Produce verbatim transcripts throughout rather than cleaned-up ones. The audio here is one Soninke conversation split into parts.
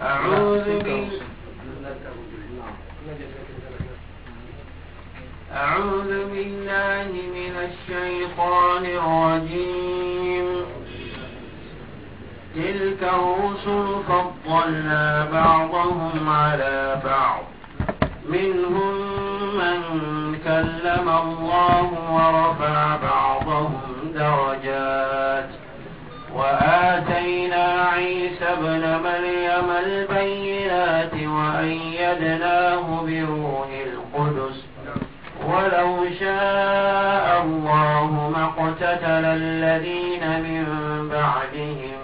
أعوذ بال- أعوذ بالله من الشيطان الرجيم. تلك الرسل فضلنا بعضهم على بعض، منهم من كلم الله ورفع بعضهم درجات، وآتينا عيسى ابن مريم البينات وأيدناه بروح القدس، ولو شاء الله ما اقتتل الذين من بعدهم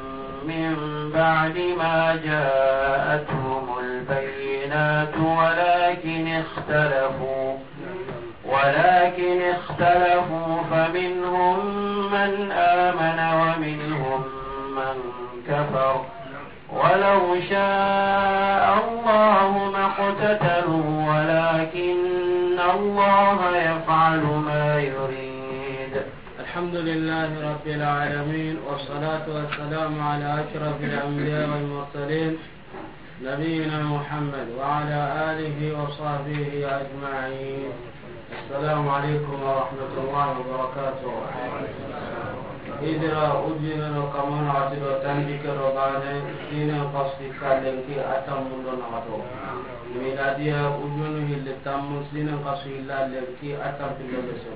من بعد ما جاءتهم البينات ولكن اختلفوا، ولكن اختلفوا فمنهم من آمن ومنهم من كفر، ولو شاء الله ما اقتتلوا ولكن الله يفعل ما يريد. الحمد لله رب العالمين، والصلاة والسلام على أشرف الأنبياء والمرسلين، نبينا محمد وعلى آله وصحبه أجمعين. السلام عليكم ورحمة الله وبركاته. Hijira ujine no kamana ati do tanjikke do baane, siine xasu hilla lenki a tammu do naxato. Miladiya ujunu hilli tammu, siine xasu hilla lenki a tampille be so.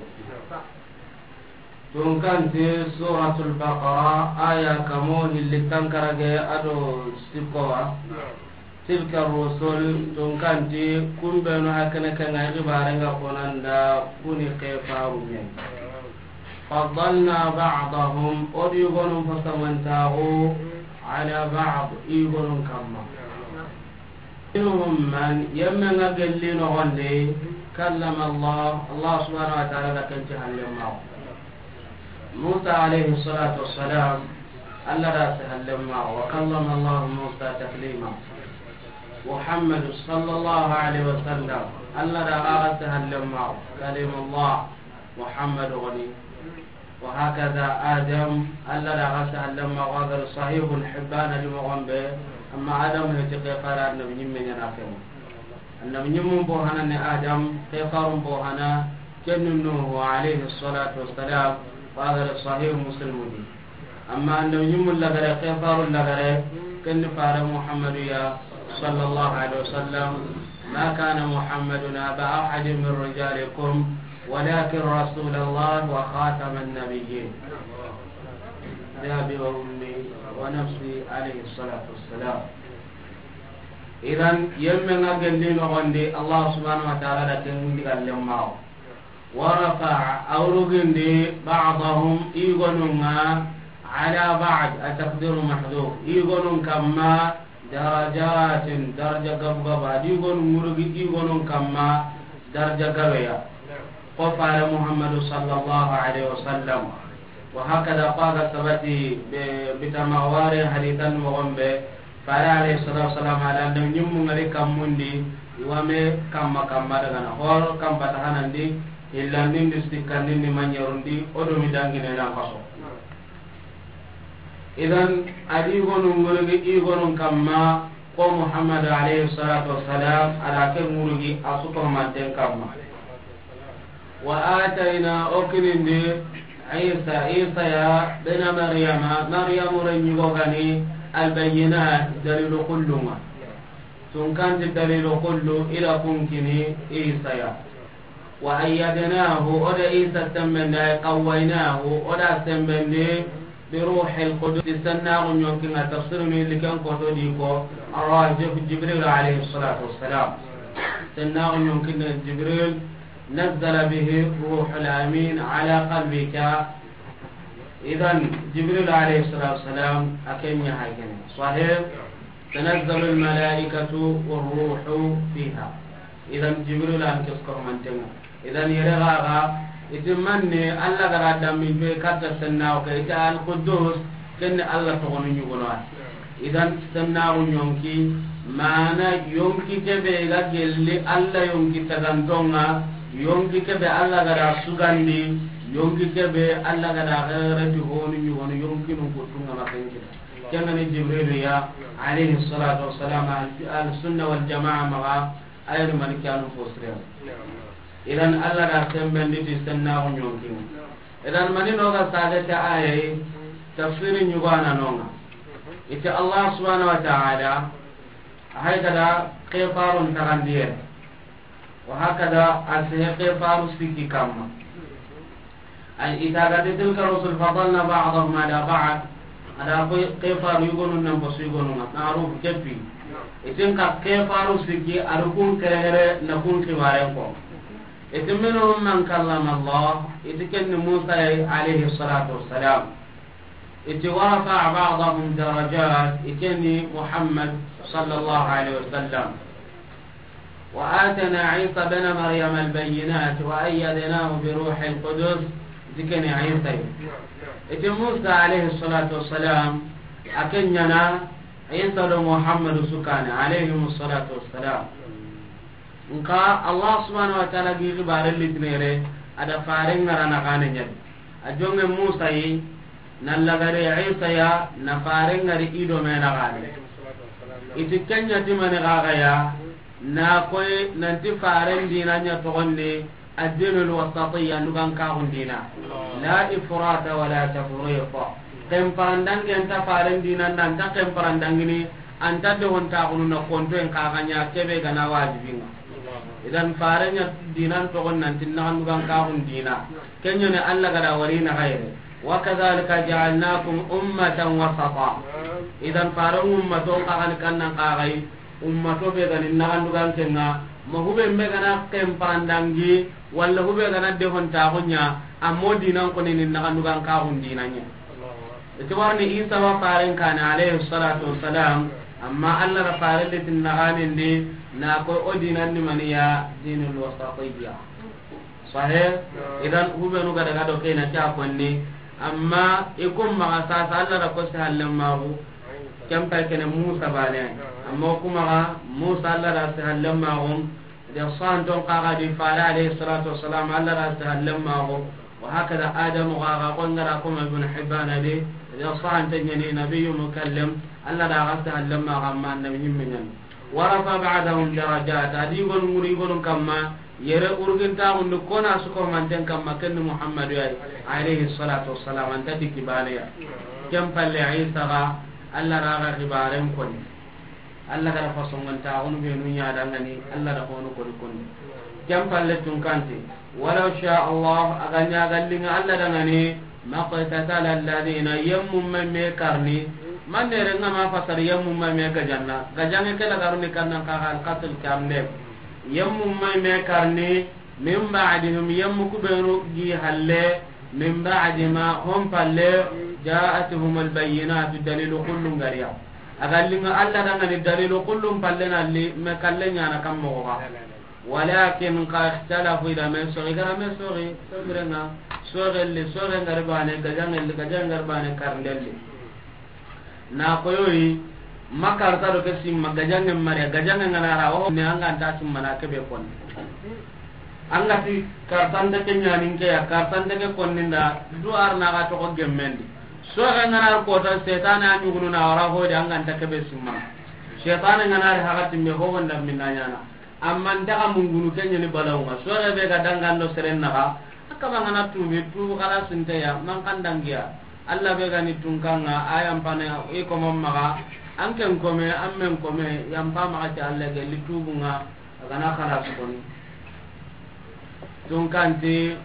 Tunkanti Suratul Baqara, aya kamo hilli tankarage a do sikkowa. Tilka rusul, tunkanti kumbenu hakene kenga i xibare nga konanda kuni kefaru me. Faddalna ba'dahum, o di gonun fasamantaxu, ala ba'd, i gonun kamma. Minhum man, yemme nga gelli noxondi, kallama Allah, Allah subhanahu wa ta'ala da ken ti hallen maxu. Musa alayhi salatu wassalam, Allah da ti hallen maxu, wa kallama Allah Musa taklima. Muhammadu sallallahu alayhi wa sallam, Allah da a ti hallen maxu, kalimullah, Muhammadu goni. Wa hakaza Adam, Allah da a ti hallen maxu, a ga ri Sahihul Hibban di moxon be, amma Adam he ti kefara annabi ñimme ñana kema. Annabi ñimmun bo hana ni Adam, kefarun bo hana, kenni Nuhu alayhi salatu wassalam, wa a ga ri Sahih Muslim di. Amma annabi ñimmun lagare, kefarun lagare, kenni fare Muhammadu ya, sallallahu alayhi wa sallam. ما كان محمد أبا أحد من رجالكم ولكن رسول الله وخاتم النبيين. بأبي وأمي ونفسي عليه الصلاة والسلام. Idan, yemme nga gelli noxondi, Allah subhanahu wa ta'ala da ken mundi gallen maxu. Wa rafa'a, a wurugindi, ba'dahum, i gonun ŋa, ala ba'd, a taqdiru mahdhuf, i gonun kamma, darajatin, daraja gabu gabu, a di gonun wurugi, i gonun kamma, daraja gabeya. Ko fare Muhammadu sallallahu alayhi wa sallam. Wa hakada, ko a ga sabati be, bitama ware hadisan moxon be, fare alayhi salatu wassalam, a da annabi ñimmu ŋari kammundi, i wa me kamma kamma daga na, horo kamma ta hanandi, hillandindi, sikkandindi, mañerundi, o do mi dangine nan kaso. Idan, a di gonun wurugi, i gonun kamma, ko Muhammad alayhi salatu wassalam, a da ke wurugi, a su ko manten kamma. Wa atayna, o kinindi, Isa, Isa ya, bena Maryama, Maryamu renñigo gani, albayyinat, dalilu kullunga. Tunkanti dalilu kullu, ila kunkini, Isa ya. Wa ayyadnahu, o da Isa sembendi, ay qawwaynahu, o da sembendi, bi ruhil qudus, sennaxu ñonkinga tafsirunu illi ken koto di ko, arrajif Jibril alayhi salatu wassalam. Sennaxu ñonkinga Jibril, نزل به الروح الأمين على قلبك. Idan, Jibril alayhi salatu wassalam, a ken ña hay kene. Sahih, تنزل الملائكة والروح فيها. Idan, Jibril an kes ko mantenga. Idan, yere gaga, iti manne, Allah gara dammi be katta senna o ke, ita al Quddus, kenne Allah to gonu ñugono. Idan, sennaxu ñonki, mana yonki kebe ga gelli, Allah yonki tagantonga, Yonki kebe Alla ga da sugandi, yonki kebe Alla ga da xereti honu ɲugonu yonkinun kuttunga ma ken kita. Ken ga ni Jibrilu ya, alayhi salatu wassalam, al, al sunna wal jamaa maxa, ayani mani kanu fo sirem. Idan Alla da sembendi ti sennaxu ɲonkinga. Idan mani no ga sagete ayayi, tafsiri ɲugana nonga. Iti Allah subhanahu wa ta'ala, a hay ga da kefarun taxandiye. Wa hakada a sehe kefaru sikki kamma. Ay ita ga de tilka rusul fadalna ba'dahum ala ba'd. A da ko kefaru yugonun nan basu yugonun na aruf kepi. Itin ka kefaru sikki arukun keregere na kun kiwaren ko. Itin minhum man kallama Allah. Iti ken ni Musa ya alayhi salatu wassalam. Iti wa rafa'a ba'dahum darajat, ikeni Muhammad sallallahu alaihi wasallam. Wa atana Isa bna Maryam albayyinat wa ayyadnahu bi ruhil qudus, ikeni Isa. Iti Musa alayhi salatu wassalam, a ken ɲana Isa do Muhammadu su kane, alayhimu salatu wassalam. Nka Allah subhanahu wa ta'ala gi xibare litinere, a da fare ŋara na xane ɲadi. A jonge Musa yi, na lagare Isa ya, na fare ŋari i do me na xane. Iti ken ɲa ti mani xaxa ya, na koy nanti faren dina ɲa toxonni, addinul wasatiyya, nugan kaxun dina. La ifrata wala tafriq. Ken parandangi anta faren dina nda, anta ken parandangini, anta de honta xunu na konto en kaxa ɲa kebe gana wajibinga. Idan faren ɲa dinan toxon nanti naxan nugan kaxun dina. Ken ɲa ne Allah ga da wari na xayre. Wa kadhalika ja'alnakum ummatan wasata. Idan faren ummato kaxan kannan kaxay. Ummato be gani naxandugan kenga, ma hube mbe gana ken parandangi, walla hube gana dehontaxu ɲa, amma o dinan koni ni naxandugan kaxun dinanɲa. Iti warni Isa wa faren kane alayhi salatu wassalam, amma Allah ra faren litin naxanindi, na ko o dinan ni maniya dinul wasatiyya. Sahe, idan hubenu ga daga do kena ta konni, amma i kun maxa sasa Allah da ko si hallen maxu, ken pay kene Musa bane, amma o kuma ga Musa Allah da si hallen maxu, de santon kaga di fare alayhi salatu wassalam Allah da si hallen maxu, wa hakada Adamu ga ga ko ngara kuma Ibn Hibban di, de santen ɲani nabiyyu mukallam, Allah da ga si hallen maxu amma annabi ɲimme ɲani. Wa rafa ba'dahum darajat, adi gon muri gon kamma, yere urgintaxundi kona suko manten kamma kenni Muhammadu yayi, alayhi salatu wassalam, anta dikki baneya. Ken palle Isa ga, Allah raga xibaren koni. Allah gara fasongontaxunu benu ɲadangani, Allah da honu koni koni. Ken palle tunkante, walaw sha Allah, a ga ɲa gallinga Allah dangani, maqtatala alladhina, yemmu me me karni, man ne renga ma fasar yemmu me me gajanna, gajange kela garuni kannan kaga alqatl kamde. Yemmu me me karni, min ba'dihim, yemmu kubenu gi halle, min ba'di ma hum palle, ja'atuhum albayyinatu, dalilu kullun gariya. A gallinga Allah dangani dalilu kullun palle nalli, me kalle ɲana kammo ga. Walakin ka ikhtalafu, i da me soxi, i gara me soxi, soxirenga, soxelli, soxe ngari bane, gajangelli, gajange ngari bane, karndelli. Na koyoyi, ma karta do ke simma, gajange mare, gajange ngana ra, o ne anga nta simma na kebe kon. Anga ti kartante ke ɲanin ke ya, kartante ke konninda, du ar na ga toxo gemmendi. Soxe ngana ar kota, setane a ɲugunu na wara hodi, anga nta kebe simma. Setane ngana ri haga timbe, ho wonda minna ɲana. Amma n daga mungunu ke ɲani balawunga. Sore be ga dangando seren naxa, a kaba ngana tubi, tubu xala sinteya, man kan dangiya. Allah be gani tunkanga, a yampane i komon maxa, an ken kome, an men kome, yampa maxa ke Allah gelli tubunga, a gana xala sukoni. Tunkanti,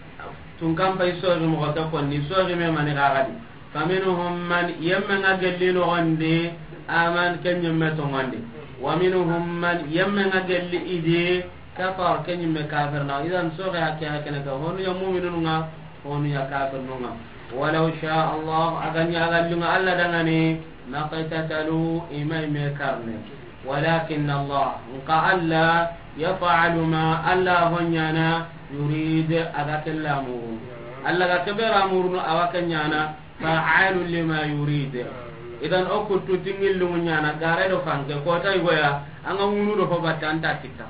tunkan pay sori moxo ke konni, sori me mani xaxadi. Faminhum man, yemme nga gelli noxondi, aman, ke ɲimme tongondi. Wa minhum man, yemme nga gelli idi, kafar, ke ɲimme kafir na. Idan soxe hakke hakkene ka, honu ya mu'minun nga, honu ya kafirun nga. Walaw sha Allah, a ga ɲa a ga linga Allah dangani, maqtatalu, i ma i me karne. Walakin Allah, nka Allah, yaf'alu ma, Allah ho ɲana, yurid, a ga kella muru. Allah ga kebera murunu, a wa ke ɲana, fa'alun lima yurid. Idan o kuttu tingillu ɲana, gare do fanke, kota igoya, anga munu do ho batta anta kita.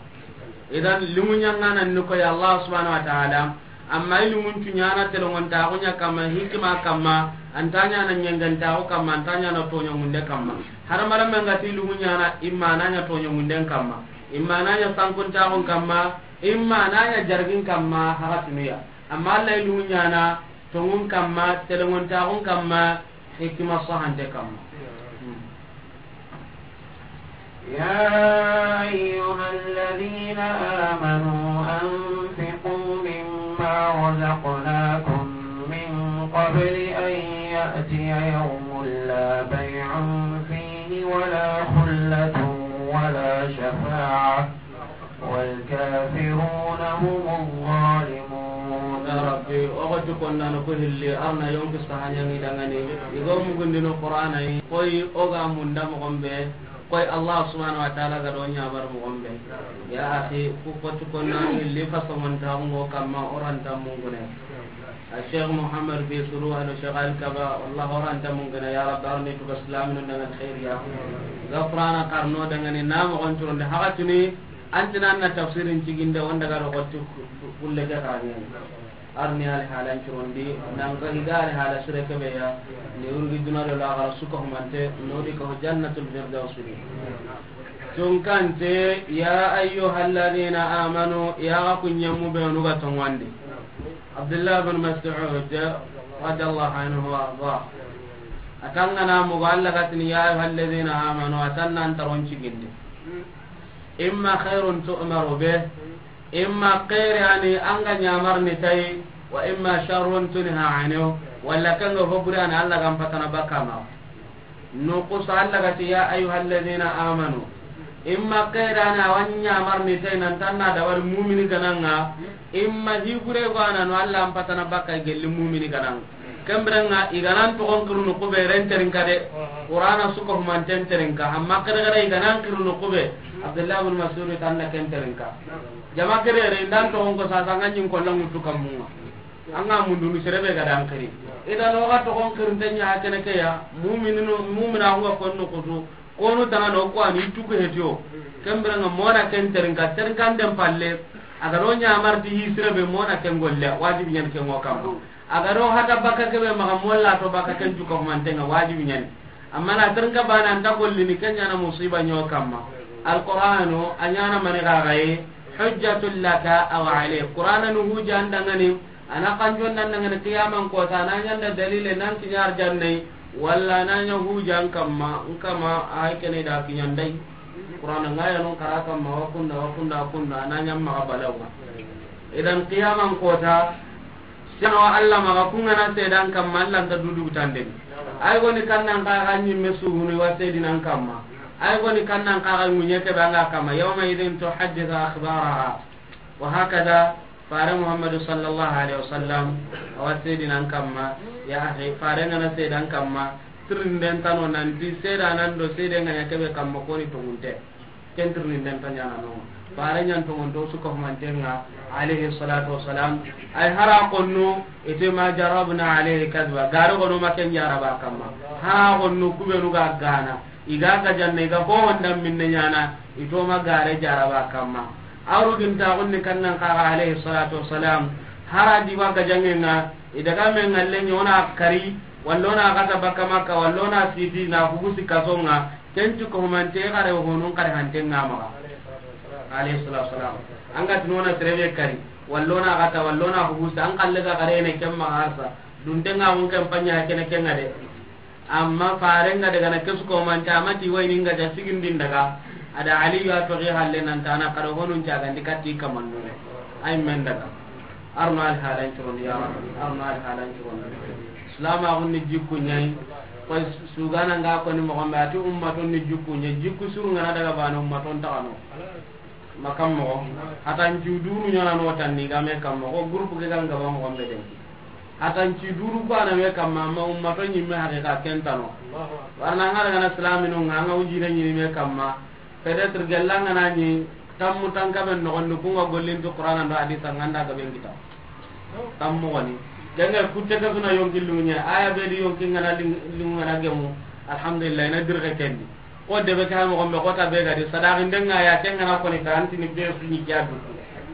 Idan, liŋu ɲaŋana ni koy Allah subhanahu wa ta'ala, amma i liŋun cu ɲaana telongontaxu ɲa kamma, hikima kamma, an ta ɲaana ɲengentaxu kamma, an ta ɲaana toɲoŋunden kamma. Hadamaren men ga ti liŋu ɲaana, imma na ɲa toɲoŋunden kamma, imma na ɲa sankuntaxun kamma, imma na ɲa jargin kamma, haxatunuya. Amma Allah i liŋu ɲaana, toŋun kamma, telongontaxun kamma, hikima sahante kamma. يا أيها الذين آمنوا أنفقوا مما رزقناكم من قبل أن يأتي يوم لا بيع فيه ولا خلة ولا شفاعة والكافرون هم الظالمون. Ya Rabbi, o ga ti konnano ko hilli, arna yonki sahaɲani dangani, i go mugundino Qur'ana yi, koy o ga munda moxon be, koy Allah subhanahu wa ta'ala ga do ɲabar moxon be. Ya akhi, ku ko ti konnano hilli, fasamonta ngo kamma, oranta mungune. A Sheikh Muhammad Bisuru, ano Sheikh Al Kaba, wallah oranta mungune, ya Rabbi, arni tuga silaminu dangan khairiya. Ga Qur'ana karno dangani, na moxon turonde, haxatuni, An ti nan na tafsirin ciginde, wanda ga do xotti kulle ke xarangeni. Arni alhalan curondi, nan ga higa alhala sire kebe ya, ni urgi duna do laxara suka humante, nodi ko jannatul firdaus ni. Tunkante, ya ayyuhalladhina amanu, ya ga kunyemu be nuga tongondi. Abdullah bin Mas'ud, radiyallahu anhu wa arda. Atangana mo Allah gatini, ya ayyuhalladhina amanu, atan nan taron ciginde. Imma khairun tu'maru bih, imma khairi ani an ga ɲamarni tay, wa imma sharrun tunha anhu, walla kanga hobure ani Allah ga n patana bakka ma. Nukusa Allah ga ti, ya ayyuhalladhina amanu. Imma khairi ani a wa ɲamarni tay nan tanna dabari mumini gananga, imma hibure go anano Allah n patana bakka gelli mumini gananga. Kembirenga, i ga nan toxon xirunu kube ren terinka de. Qur'ana suka humanten terinka. Amma kere kere i ga nan xirunu kube. Abdullah bin Mas'ud tanna ken terinka. Jama kere re indan toxon ko sasa nga ɲin ko langutu kamunga. Anga mundunu serebe ga dan xiri. Idan o ga toxon xirinte ɲa kene ke ya. Mu'mininu, mu'mina huwa konno kutu. Kono tangano ko ani tuku hetiyo. Kembirenga mona ken terinka, terinka den palle. A ga do ɲamarti hi sirebe mona ken golle, wajibi ɲan ken wo kamma. A ga do hata bakka kebe maxa molla to bakka ken cuka humantenga wajibi ɲani. Amma na terinka bana anta gollini ken ɲana musiba ɲo kamma. Alqur'anu a ɲana mani gagaye, hujjatul laka aw alayk. Qur'ana nu hujja an dangani, ana kanjon nan dangani qiyaman kota, na ɲanda dalile nan kiɲa arjannai, walla na ɲa hujja an kamma, n kama ay kene da kiɲandai. Qur'ana ngaya non kara kamma, wa kunda, wa kunda, wa kunda, na ɲa maxa balawa. Idan qiyaman kota, sino Allah maxa kungana sedan kamma, Allah nta dudu tanden. Ay goni kannan ka ga ɲimme suhuni wa sedinan kamma. Ay goni kannan ka ga ŋuɲe ke banga kamma. Yawma idhin tuhaddithu akhbaraha. Wa hakada, fare Muhammadu sallallahu alaihi wasallam, awa sedinan kamma, ya akhi, fare ngana sedan kamma, tirinden tano nanti sedanan do sede nganya kebe kamma koni tongunte. Ken tirinden ta ɲana no. Fare ɲan tongunto suka humantenga, alaihi salatu wassalam. Ay hara konno, ite ma jarabna alaihi kadba. Garo gono ma ken jaraba kamma. Ha konno kubenu ga gana. I ga gajanne, i ga ho honda minne ɲana, i to ma gare jaraba kamma. Aru ginta gonni kannan kaga alayhi salatu wassalam, hara di wa gajangenga, i daga me ngalle ɲona kari, walla ona gata bakka Makka, walla ona siti na hugusi kasonga, ken cu ko humante kare honun kare hantenga maga. Alayhi salatu wassalam. Anga tinona serebe kari, walla ona gata, walla ona hugusi, an kalle ga kare ne ken maga harsa. Duntenga mun ken panya kene kenga de. Amma farenga daga na kesu ko manta amati wayni nga ja sigindin daga. Ada Aliyu a toxi halle nan tana karo honun cagandi katti kamannu. Ay men daga. Arno al halan curon ya Rabbi. Arno al halan curon. Islam a hunni jikku nyai. Koy sugana nga ko ni mo gombe ati ummatun ni jikku nyai. Jikku suru ngana daga bana ummatun ta kano. Makam moxo, hatan cu duru ɲana no tanni game kam moxo, groupe ke gan gaba moxon be den. Hatan cu duru ko ana me kam ma, ma ummato ɲimme haqiqa ken tano. Warna ngara gana islaminu nga, nga ujine ɲini me kam ma. Peut-être gella ngana ɲi tammu tanka ben no gondu kunga gollin to Qur'ana ndo hadisa nganda gaben kita. Tammu woni. Denga kutte ka suna yonki lunya, aya be di yonki ngana ling-, ling ngana gemu. Alhamdulillah, ina dirke kendi. Ko debe ke ha moxo be, xo ta be ga di sadaxi ndenga ya, ken ga na koni ta, an ti ni be su ni ke ya du.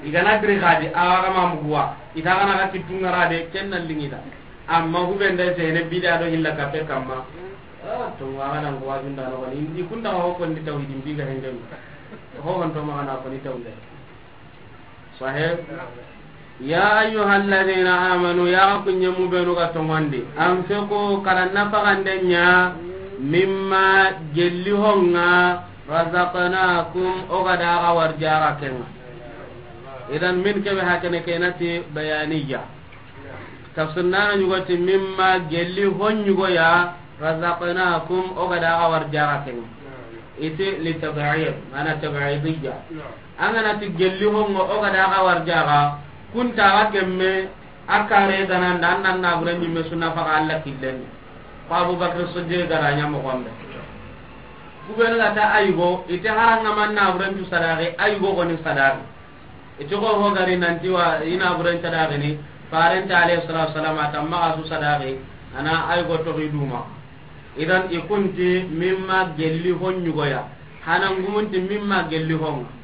I ga na giri xa di, a wa ga ma mugu wa, i ta ga na ga kittu ŋa ra de, ken na liŋi da. Amma hube nda sene bida do hilla kape kamma. Ah, to wa ga na ko wa dunda no ni. I kunda ho ko ndi tawhidi bi ga hende. Ho hon to ma ga na ko ni tawhidi. Sahih. Ya ayyuhalladhina amanu, ya ku ɲemu benu ga toŋondi. Anfiqu, kara nafaxande ɲa, mimma, gelli ho ŋa, razaqnakum, o ga da xa warjaxa ke ŋa. Idan min kebe hakene ke na ti bayaniya. Tafsir na ɲugo ti mimma, gelli ho ɲugo ya, razaqnakum, o ga da xa warjaxa ke ŋa. Iti li tab'id, mana tab'idiyya. An ga na ti gelli ho ŋa o ga da xa warjaxa, kun ta ga gemme, a kare ga na nda, an nan na bure ɲimme su nafaxa Alla killen. Ko Abubakar Siddiq ga ra ɲa moxo be. Ku benu ga ta a yugo, i ti hara ŋa man na bure ncu sadaxi, a yugo xo ni sadaxi. I ti xo ho ga ri nanti wa i na buren sadaxini, farenta alayhi salatu wasalam a ta maxa su sadaxi, a na a yugo toxi duma. Idan i kun ti mimma gelli ho ɲugo ya, hana ngumun ti mimma gelli ho ŋa.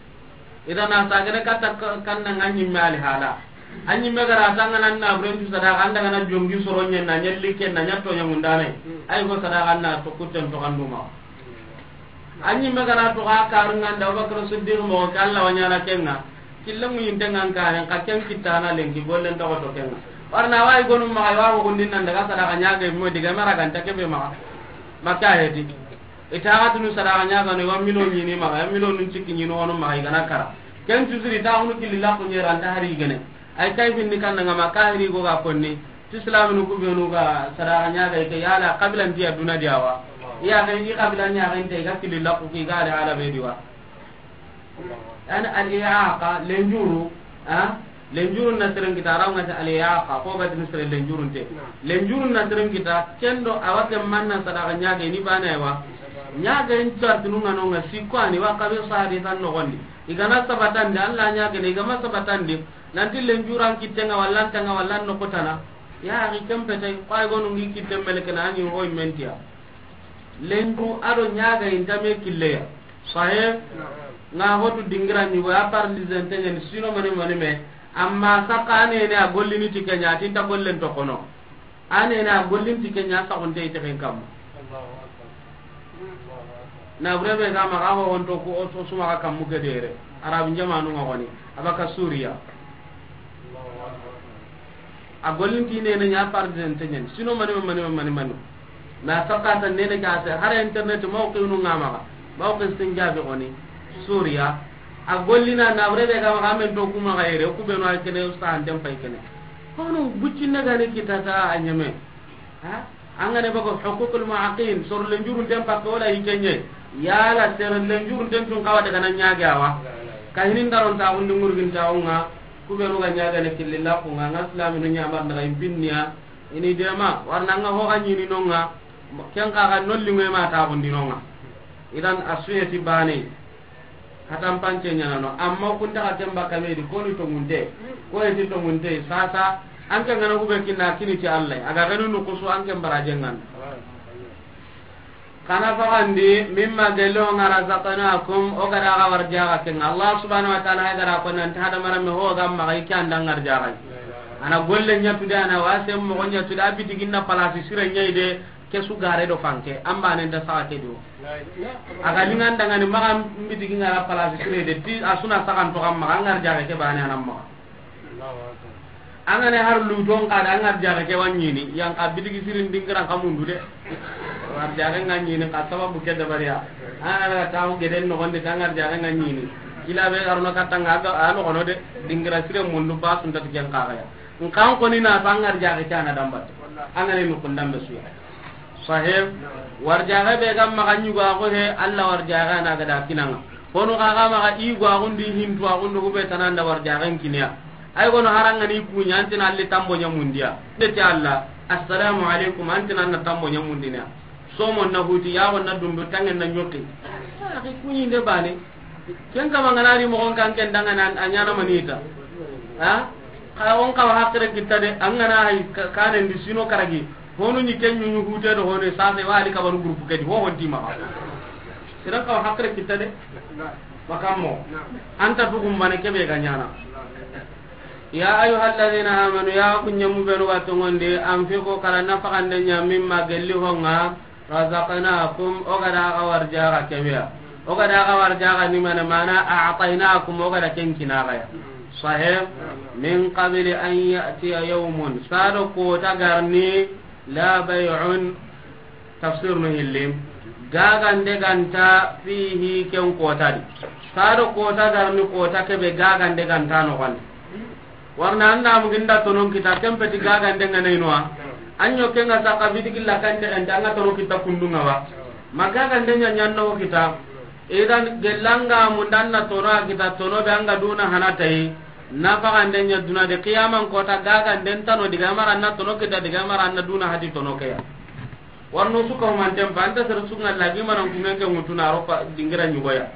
Idan a sagene katta ka-, kanna ŋa ɲimme ali hala. A ɲimme ga ra ta ŋa nan na buren cu sadaxa, an da ga na jongi soro ɲen na ɲalli ken na ɲatto ɲamundane. Ay go sadaxa na to kutten to kanduma. A ɲimme ga na to xa karu ŋa nda Abubakar Siddiq moxo ke, Alla wa ɲaana ke ŋa. Kille mu yinte ŋa n karen, xa ken kitta na lenki gollen toxo to ke ŋa. Warna wa i gonu maxa, wa ho gundin nan daga sadaxa ɲaga mo diga mara ganta kebe maxa. Maka heti. I ta ga tunu sadaxa ɲaga no, wa milo ɲini maxa, ya milo nun cikki ɲini wono maxa, i ga na kara. Ken cu siri ta hunu killi la ku ɲera nta hari gene. Ay kay finni kan ŋa ma kahiri go ga konni. Ti silaminu ku benu ga sadaxa ɲaga i ke, yala xabilan ti ya duna di a wa? I ya ga i xabilan ɲaga inte, i ga kili la ku ki ga ali ala be di wa. An al-i'aqa, lenjuru, ha? Lenjuru na seren kita, raw ŋa ta al-i'aqa, ko ga tin sere lenjuru nte. Lenjuru na seren kita, kendo a wa ke manna sadaxa ɲaga ni bana wa. Ɲaga in chartinu ŋa no ŋa sikko ani wa kabe sadi tan no gondi. I ga na sabatandi, Alla ɲaga ni, i ga ma sabatandi. Nanti lenjuran kitten ŋa, walla nta ŋa, walla no kotana. Ya axi, ken pete, ko ay gonu ngi kitten meleke na, a ɲi ho i mentiya. Lenju a do ɲaga inta me killeya. Sahe? Ŋa hotu dingira ɲugo, a paralysé nte ɲeni, sino mani mani me. Amma saka a nene a gollini ti ke ɲa, a ti nta gollen to kono. A nene a gollin ti ke ɲa saxunte i texen kamma. Na bure be ga maxa ho honto ku o su maxa kammu ke dere. Arabu jamanu ŋa goni. A ba ka Suriya. A gollin ti nene ɲa paralysé nte ɲeni. Sino mani, mani, mani, mani. Na sakata nene ga se. Hara internet mawqinu ŋa maxa. Mawqi Sinjabi goni. Suriya. A gollina na bure be ga maxa, a men to ku maxa yere, ku benu a kene, usta an tem pay kene. Kono buccinne gani kitata a ɲeme. Ha? An ga ne bago huququl mu'aqqin, soro lenjurun tem pakke wala i kenye. Yala sere lenjurun tem tun kawa daga na ɲage a wa. Ka hinin daron ta undi ngurgin ta unga, ku benu ga ɲaga ne killilla ku ŋa, ŋa islaminu ɲamar daga impinniya. Ini dema, warna ŋa ho ga ɲini no ŋa, ken ka ga nolli ŋe ma ta undi no ŋa. Idan a suye ti bane. Hatan pance ɲanano, amma kun ta xa ken bakka me di, ko ni tongunte, ko eti tongunte, sasa, an ke ŋa na hube kinna kini ti Alla, a ga genu nukusu an ke baraje ŋa na. Xa na faxandi, mimma gelli ho ŋa razaqnakum, o ga da xa warjaxa ke ŋa. Allah subhanahu wa ta'ala hay ga da ko nan ta hada marame ho ga maxa i ke an da ŋa warjaxa. A na golle ɲa tu de, a na wase moxo ɲa tu de, a bitigi na palasi sire ɲa i de, ke su gare do fanke, an bane nda saxa ke do. A ga lingan dangani maxa mbitigi ŋa ra palasi sire de ti a su na saxan to xa maxa, an ŋa warjaxe ke bane a na maxa. An ga ne har luton xa da an ŋa warjaxe ke wa ɲini, yan xa bitigi sirin dingiran xa mundu de. Warjaxe ŋa ɲini xa sababu ke dabariya. An ga na taxu geden noxon di ta an ŋa warjaxe ŋa ɲini. Kila be ga ro no katta ŋa ga a noxono de, dingira sire mundu ba sunta ti ken xa ga ya. Nkan koni na ta an ŋa warjaxe ke a na dambate. An ga ne nukun dambe suya. Sahib, warjaxe be ga maxa ɲugo a xo he, Alla warjaxe a na ga da kinaŋa. Kono xa ga maxa i go a xundi hintu a xundi hube tananda warjaxen kiniya. Ay gono harangani kuɲa antina alli tambo ɲamundiya. Ndeti Alla, assalamu alaikum, antina na tambo ɲamundiya. Somo na huti, yago na dundu, tangen na ɲoki. Axi kuɲi nde bane. Ken kama ngana ri moxon kan ken dangana a ɲana manita. Ha? Xa on kawa hakkere kitta de, an gana hay ka-, kanen di sino karagi. Honu ni ken ɲuɲu hute do honu sase wa ali kabanu groupe ke di ho honti maxa. Seren kawa hakkile kitta de. Makammo. Anta tugumbane kebe ga ɲana. Ya ayyuha alladhina amanu, ya ku ɲemu benu ga tongondi, anfiqu, xara nafaxande ɲa, mimma, gelli honga, razaqnakum, o ga da ga warjaga kebeya. O ga da ga warjaga ni mane, mana a'taynakum, o ga da ken kinaxaya. Sahih. Min qabli an ya'tiya yawmun, sado kota garni, la bay'un, tafsir no hillim, gagande ganta fihi, ken kota di. Sado kota garni, kota kebe gagande ganta no gandi. Warna anda muginda tonon kita, kempeti gagande ngana inwa. Anyo kenga saka bitiki la kante anda anga tono kita kundunga wa. Ma gagande nya nyanno kita. Idan gelanga mundanna tono kita, tono be anga duna hanatai. Nafaxande ɲa duna de, qiyaman kota gaganden tano, diga maranna tono kita, diga maranna duna hati tono keya. Warno suka humanten pa, anta sere sunga lagi manan kungen ke ŋutuna, a ropa dingira ɲugoya.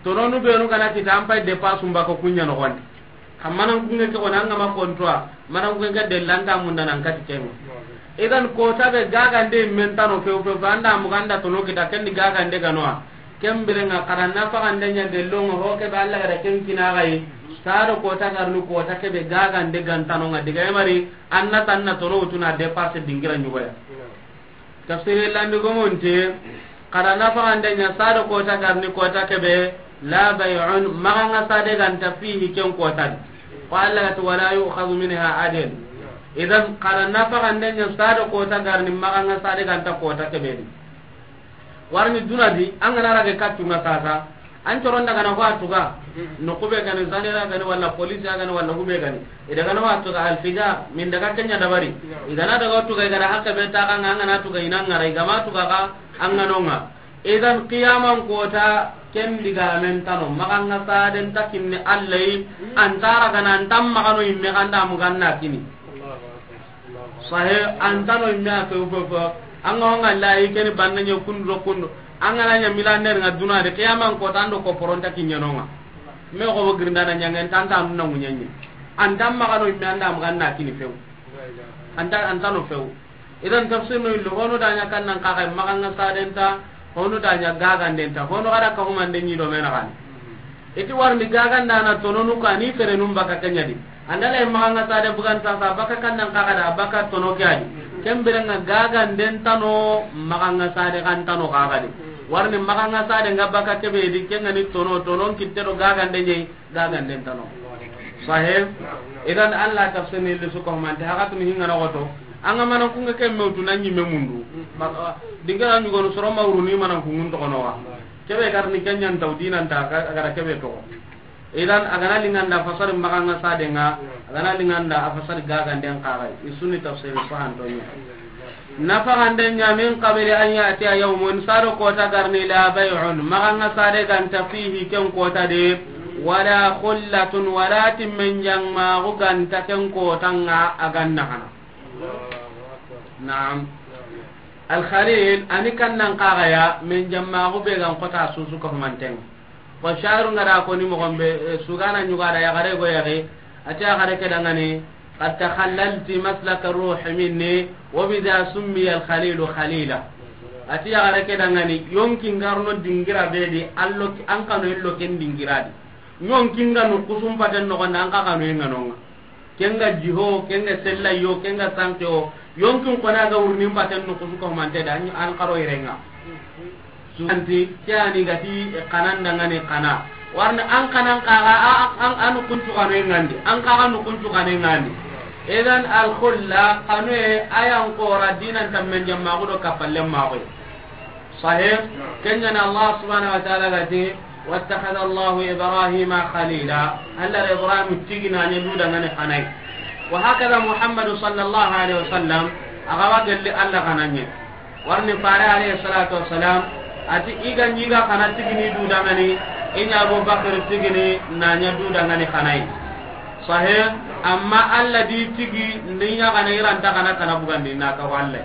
Tononu benu gana kita, an pay depa sumba ko kunya no gonde. Xa manan kungen ke ona ngama kontoa, manan kungen ke delanta munda nan kati kengo. Idan kota be gagande men tano few few, anda muganda tono kita, kendi gagande ganoa. Ken birenga xara nafaxande ɲa gellonga, ho kebe Alla ga da ken kinaxayi. Sado kota garni, kota kebe gagande gantanonga, diga emari, anna tanna tono wutuna dépasse dingira ɲugoya. Tafsiri landi gomonte, xara nafaxande ɲa, sado kota garni, kota kebe, la bay'un, maxanga sade ganta, fihi, ken kota di. Ko Alla gati, wala yu'khadhu minha adl. Idan xara nafaxande ɲa, sado kota garni, maxanga sade ganta, kota kebe di. Warni duna di, an gana rage kattunga sasa, an coron daga na ho a tuga, no kube gani, zanera gani, wala police gani, wala hube gani. I daga na ho a tuga alfijar, min daga kenya dabari. I gana daga tuga, i gana hakke be ta kan, an gana tuga inangara, i gama tuga ka, an ganonga. Idan qiyaman kota, ken diga men tano, maxanga saden takinni Alla yi, antara gana, antam maxano imme ganda, muganna kini. Sahe, antano imme a few few few. Anga honga layi keni banna ɲe kundu do kundu. Anga na ɲa milander nga duna de, qiyaman kota ando ko poronta kiɲanonga. Me ko bo girindana ɲangen tanta nuna ŋuɲenye. Antam maxano imme anda muganna kini few. Anta, antano few. Idan tafsir no illo, hono da ɲa kannan kaxa, maxanga sadenta, hono da ɲa gagandenta, hono xara ka humande ɲi do mena xani. Iti warni gagandana tononu kani serenun baka kenyadi. Andala maxanga sade bugan sasa baka kannan kaxa da, baka tono ke adi. Ken birenga gagandentano, maxanga sade xantano kaxa di. Warni maxanga sade nga baka kebe di, kengani tono, tonon kitte do gagande ɲei. Gagandentano. Sahe. Idan Allah tafsirni lisu ko mante hakatuni hingana goto. Anga manan kunga ke mewtu na ɲimme mundu. Ba-, dingara ɲugonu soro mawru ni manan kungun to kono wa. Kebe garni kenyan taw dinan ta ka, gara kebe to. Idan agana linganda fasari maxanga sadenga, agana linganda a fasari gaganden kaxay. Isuni tafsiri fahantonya. Nafaxande ɲa, min qabli an ya'tiya yawmun, sado kota garni, la bay'un, maxanga sade ganta, fihi, ken kota de, wala khullatun, wala timmen jammaxu ganta ken kotanga a ganna xana. Naam. Al Khalil, ani kannan kaxaya, men jammaxu be gan kota susu ko manten. Ko shairu ngara ko ni mogon be, eh, sugana ɲugada yaxare go yaxe, ati yaxare ke dangani, qad takhallalti maslaka ruhi minni, wa bidha summiya al-khalilu khalila. Ati yaxare ke dangani, yonki ngarno dingira be di, allo ki-, an kano illo ken dingira di. Yonki nganu kusum paten no gonda, an ka kano inganonga. Kenga jiho, kenga sella yo, kenga sanke o. Yonkin kona ga wurnin paten no kusu ko mante da, an karo irenga. Suganti, ke ani gati, e, kanan dangani kana. Warni an kanan kaga, a, a, an, an kuntu kanu ngandi. An kaga nu kuntu kanu ngandi. Idan al khulla, kanu e, ayan kora dinan tammen jamma gudo kapalle mago. Sahih. Kenya na Allah subhanahu wa ta'ala gati, wattakhadha Allahu Ibrahima khalila. Allah Ibrahim tigina ne duda ngani kanai. Wa hakadha Muhammadu sallallahu alaihi wasallam, agawa gelli Allah kananye. Warni fare alayhi salatu wassalam, ati iga nyiga kana tigini du dangani, inya Abu Bakr tigini nanya du dangani kanai. Sahih, amma Allah di tigi ninya kana iranta kana kana bugandi na ka walle.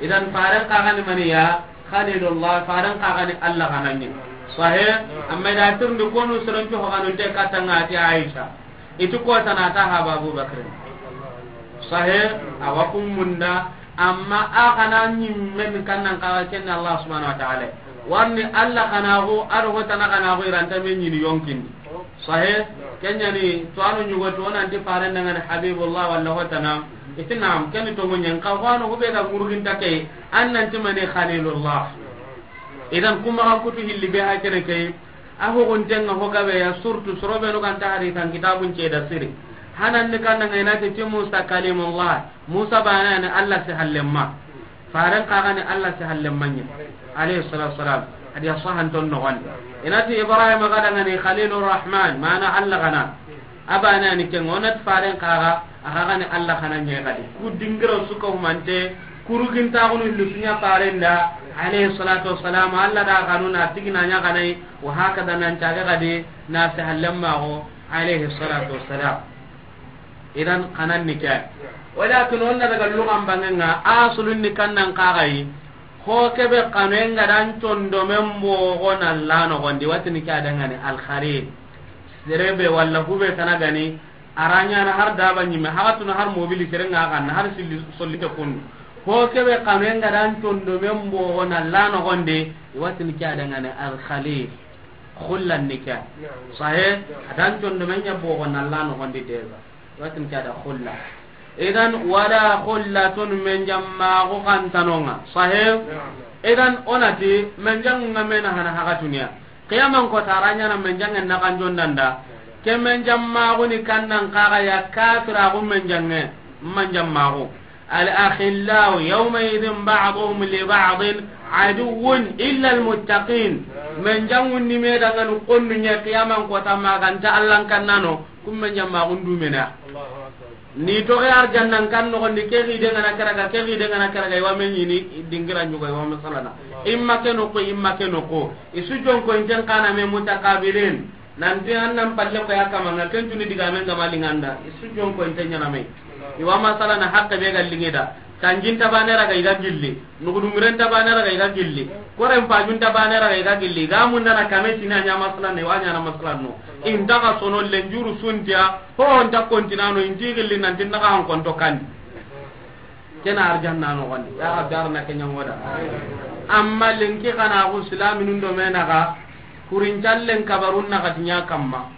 Idan faren kagani maniya, Khalilullah, faren kagani Allah kanani. Sahih, amma da turndi konu surancu hokanunte katanga ati Aisha. Itu kota na ta haba Abu Bakr. Sahih, awa kummunda, amma a kana nyimmen kannan kaga kenne Allah subhanahu wa ta'ala. Warni Allah xanaxu, a do ho tana xanaxu, i ra nta me ɲini yonkin di. Sahe, ken ɲa ni, to a no ɲugo to, o na ti faren da ŋa ni Habibullah walla ho tana, i ti naam, ken ni tonŋu ɲa, xa ho a no ho be ga ŋurginta ke, an na ti mani Khalilullah. Idan kuma xa kutu hilli be ha kene ke, a ho gunten ŋa ho gabe ya, surtout soro be no ga nta hadisan kitabun ce da siri. Hanan ni kan ŋa i na ti Musa Kalimullah, Musa baane ya ni Allah si hallen ma. Faren xa ga ni Allah si hallen ma ɲa, alayhi salatu wassalam. A di a sahan ton noxon di. I na ti Ibrahim ga da ŋa ni Khalilur Rahman, mana Allah xana. A baane ya ni ken ŋa, o na ti faren xa ga, a xa ga ni Allah xana ɲa ga di. Ku dingira su ka humante, kurugintaxunu hilli su ɲa faren da, alayhi salatu wassalam. Allah da xanu na tigi na ɲa ga na yi, wa hakada nan caga ga di, na si hallen ma xo, alayhi salatu wassalam. Idan xanan ni ke. Walakin o na daga lugan bangen ŋa, asulun ni kan nan xa ga yi. Ho kebe xanu en ga da an condomen bogo na la noxon di, wa ti ni ke a da ŋa ni Al-Khalil. Sere be walla hu be tana ga ni, a ra ɲa na har daba ɲi me, haga tuna har mobili sere ŋa ga na, har silli solli te kun. Ho kebe xanu en ga da an condomen bogo na la noxon di, wa ti ni ke a da ŋa ni Al-Khalil. Xullan ni ke. Sahe, a da an condomen ɲa bogo na la noxon di deba. Wa ti ni ke a da xulla. Idan, wala xullatun, menjanmaxu xa nta no ŋa. Sahe? Idan, o na ti, menjanŋu ŋa me na hana haga tuniya. Qiyaman kota a ra ɲa na menjanŋen na xanjon da nda. Ke menjanmaxu ni kan nan xa ga ya kafiraxu menjanŋe, menjanmaxu. Al-akhillau yawma idhin ba'duhum li ba'din aduwwun illa al-muttaqin. Menjanŋun ni me da ŋa ni xonnu ɲa qiyaman kota ma ga nta Allah n kan na no. Kun menjanmaxun du me na. Ni toxe arjannan kan noxon di, ke xide ŋa na karaga, ke xide ŋa na karaga, i wa me ɲini dingira ɲugo, i wa masalana. I ma ke noxo, i ma ke noxo. I su jonko inten xa na me mutaqabilin. Nan ti an nan palle ko ya kama ŋa, ken tuni digamen ga ma liŋa nda. I su jonko inten ɲa na me. I wa masalana haqqe be ga liŋe da. Tanjin ta baane ra ga i ga gilli. Nuxudunguren ta baane ra ga i ga gilli. Koren pajun ta baane ra ga i ga gilli. Ga munda na kame sina ɲa masalan ne, wa ɲa na masalan no. Inta ga sono lenjuru suntiya, ho nta kontinano, inti gilli nan tin na ga han konto kan. Kena arjanna noxon di. Ya Rabbi, arna ke ɲa ŋo da. Amma lenki xanaxu silaminun do me na ga, kurin callen kabarun na ga ti ɲa kamma.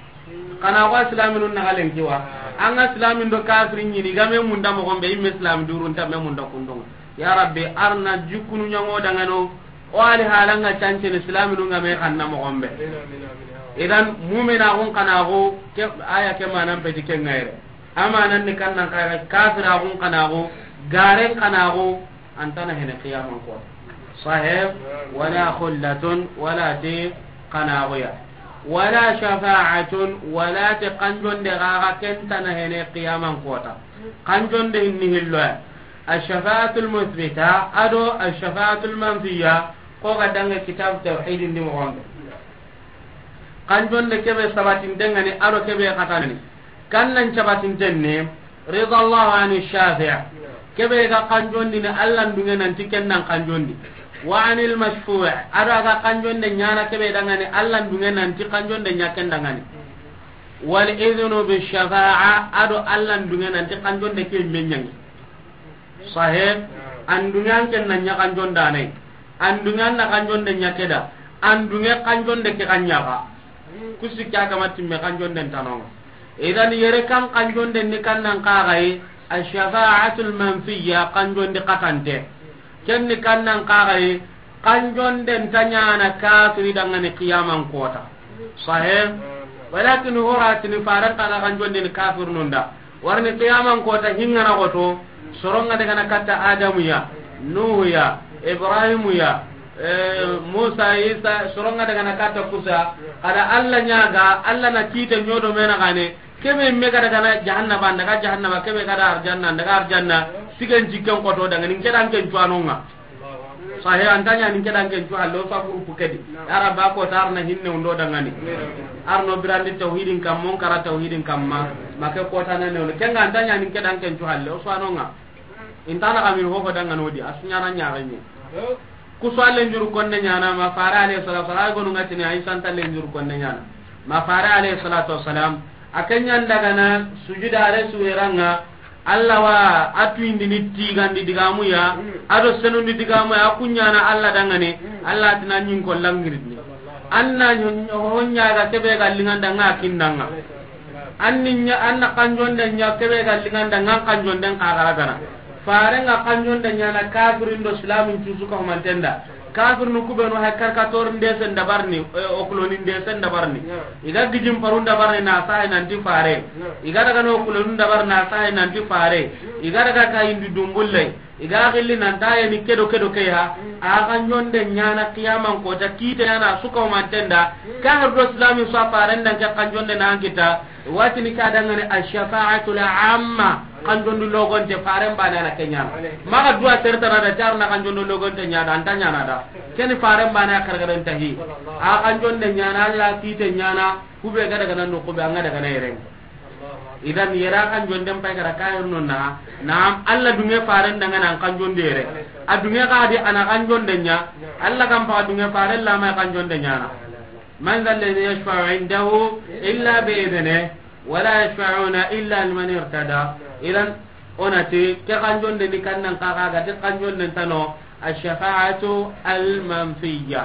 Xanaxu a silaminun na ga lenki wa. An ga silamin do kafirin ɲini, i ga me munda moxon be, i me silami durun ta me munda kundun ŋa. Ya Rabbi, arna jikunu ɲa ŋo da ŋa no, o ali halan ŋa cancene silaminun ga me xanna moxon be. Idan, muminaxun xanaxu, ke, aya ke manan peti ke ŋa yere. A manan ni kan nan xa ga kafiraxun xanaxu, garen xanaxu, an ta na hene qiyaman ko. Sahe, wala xullatun, wala ti xanaxuya. Wala shafa'atun, wala ti xanjonde xa ga ken ta na hene qiyaman kota. Xanjonde hinni hilloya. Ash-shafa'atul muthbita, a do ash-shafa'atul manfiya, ko ga dange kitab tawhidin di moxon be. Xanjonde kebe sabatinten ŋa ni, a do kebe xatana ni. Kan nan sabatinten ni, ridallahu ani shafi'. Kebe ga xanjondini, Allah n dunge nan ti ken nan xanjondi. Wa anil mashfu', a do a ga xanjonde ɲaana kebe da ŋa ni, Allah n dunge nan ti xanjonde ɲa ken da ŋa ni. Wal idhnu bi shafa'a, a do Allah n dunge nan ti xanjonde ke me ɲa ŋi. Sahe, an dunge an ken na ɲa xanjonda ne. An dunge an na xanjonde ɲa ke da. An dunge xanjonde ke xa ɲa ga. Kusi ke a ga ma timme xanjonde nta no ŋa. Idan yere kan xanjonde ni kan nan xa ga yi, ash-shafa'atul manfiya, xanjondi xatante. Ken ni kan nan xa ga yi, xanjonden ta ɲaana kafiri da ŋa ni qiyaman kota. Sahe? Walakin horatini faren xa ga xanjondini kafirnun da. Warni qiyaman kota hinŋa na xoto, soron ŋa daga na katta Adamu ya, Nuhu ya, Ibrahimu ya, eh, Musa, Isa, soron ŋa daga na katta kusa, kada Allah ɲa ga, Allah na kite ɲodo me na gane, kebe me ga daga na jahannaba, daga jahannaba, kebe ga da arjanna, daga arjanna, sigen jikken xoto daga ni ke dan ken cuwanon ŋa. Sahe, an ta ɲa ni ke dan ken cu halle, o sa groupe ke di. Ya Rabbi, a kota arna hinne undo da ŋa ni. Arno birandi tawhidin kamma, o n kara tawhidin kamma. Ma ke kota na ne undo. Ken ŋa an ta ɲa ni ke dan ken cu halle, o suwanon ŋa. Inta na kamin ho ho da ŋa no di, a su ɲaana ɲaxe ɲi. Ku su a lenjuru konne ɲaana, ma fare alayhi salatu wassalam, ay gonu ŋa tini, Aisha nta lenjuru konne ɲaana. Ma fare alayhi salatu wassalam, a ke ɲa n daga na sujuda are su yera ŋa, Alla wa a tuyindini tigandi digamu ya, a do senundi digamu ya, a kuɲana Alla dangane, Alla tina ɲin ko langirini. An na ho ɲaga kebe ga linganda nga kindanga. An ni ɲa, an na kanjonde ɲa kebe ga linganda nga kanjonden kagaragana. Faren ga kanjonde ɲana kafirin do islamin cusu ka humantenda. Kafirinu kubenu hay karkator ndesen dabarni, eh, okuloni ndesen dabarni. Iga gijin parun dabarni na sahe nanti fare. Iga daga no okulonu dabar na sahe nanti fare. Iga daga ka indi dumbulle. Iga gilli nanta yani kedo kedo ke ha. A ga ɲonde ɲana qiyaman kota kite ɲana suka humantenda. Kahir do islami so faren dan ke kanjonde na kita. Watini ka dangane ash-shafa'atul amma, kanjondu logonte faren bane na kenyana. Maga duwa sertana da jarna kanjondu logonte ɲada, anta ɲana da. Keni faren bane kargaren tahi. A kanjonde ɲana, Alla kite ɲana, kube ga daga nan kube anga daga na yeren. Idan yera kanjonden pay gara kahir no na, naam, Alla dunge faren dangana an kanjonde yere. A dunge ga di ana kanjonde ɲa, Alla kan pa dunge faren lama kanjonde ɲana. Man dha alladhi yashfa'u indahu illa bi idhnihi, wa la yashfa'una illa liman irtada. Idan, onati, ke kanjonde ni kannan kaga ga ti kanjonde tano, ash-shafa'atu al-manfiyya.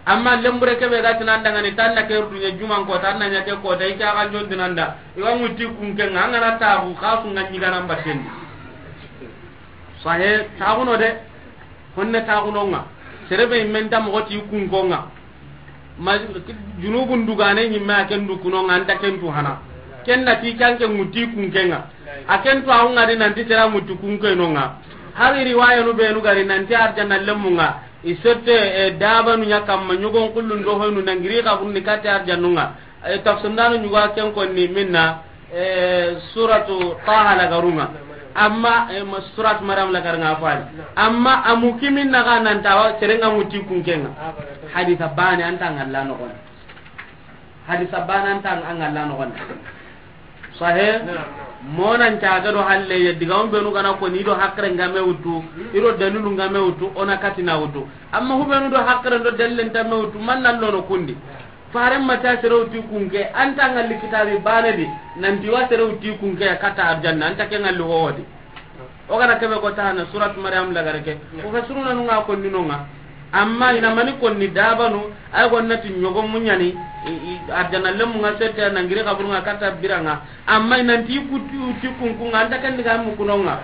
Amma lembure kebe ga tinan dangani tanna ke dunya juman ko tanna nya ke ko dai ka kanjonde nanda. Iwa muti kunke nga ngana tagu kasu nga nyiga nan batendi. Sahe, taguno de. Honne taguno nga. Serebe menta mo ti kunko nga. Ma junubun dugane ɲimme a ken du kuno nga anta ken tu hana. Ken na ti kanke muti kunke nga. A ken tu a nga di nanti sera muti kunke no nga. Hari riwaya nu benu gari nanti arjanna lemu nga. I sette, eh, dabanu ɲa kamma ɲogon kullun do hoynu nangiri ka bunni kati arjannu nga. Eh, tafsir ndanu ɲuga ken konni minna, eh, suratu Taha lagarunga. Amma, eh, ma-, suratu Maryam lagarunga fani. Amma amu kimin naga nan tawa serenga muti kunkenga. Hadisa bane anta ngalla no gon. Hadisa bane anta ngalla no gon. Sahe? Naam, naam. Monan caga do halle ya diga on benu gana ko ni do hakre ngame wutu, iro dalilu ngame wutu, ona katina wutu. Amma hubenu do hakre do dalilen tamme wutu, man nan lono kundi. Faren mata sere wuti kunke, anta ngalli kitabi bane di, nanti wa sere wuti kunke ya kata arjanna, anta ke ngalli wodi. O gana kebe ko tana surat Maryam lagare ke. Ko ka suruna nunga konni nonga. Amma ina mani konni dabanu, ay gonna ti ɲogo muɲani, i, i, arjanna lemu nga sete nangiri kaburu nga kata biranga. Amma ina ti kuti, uti kunku nga anta kan diga mu kunonga.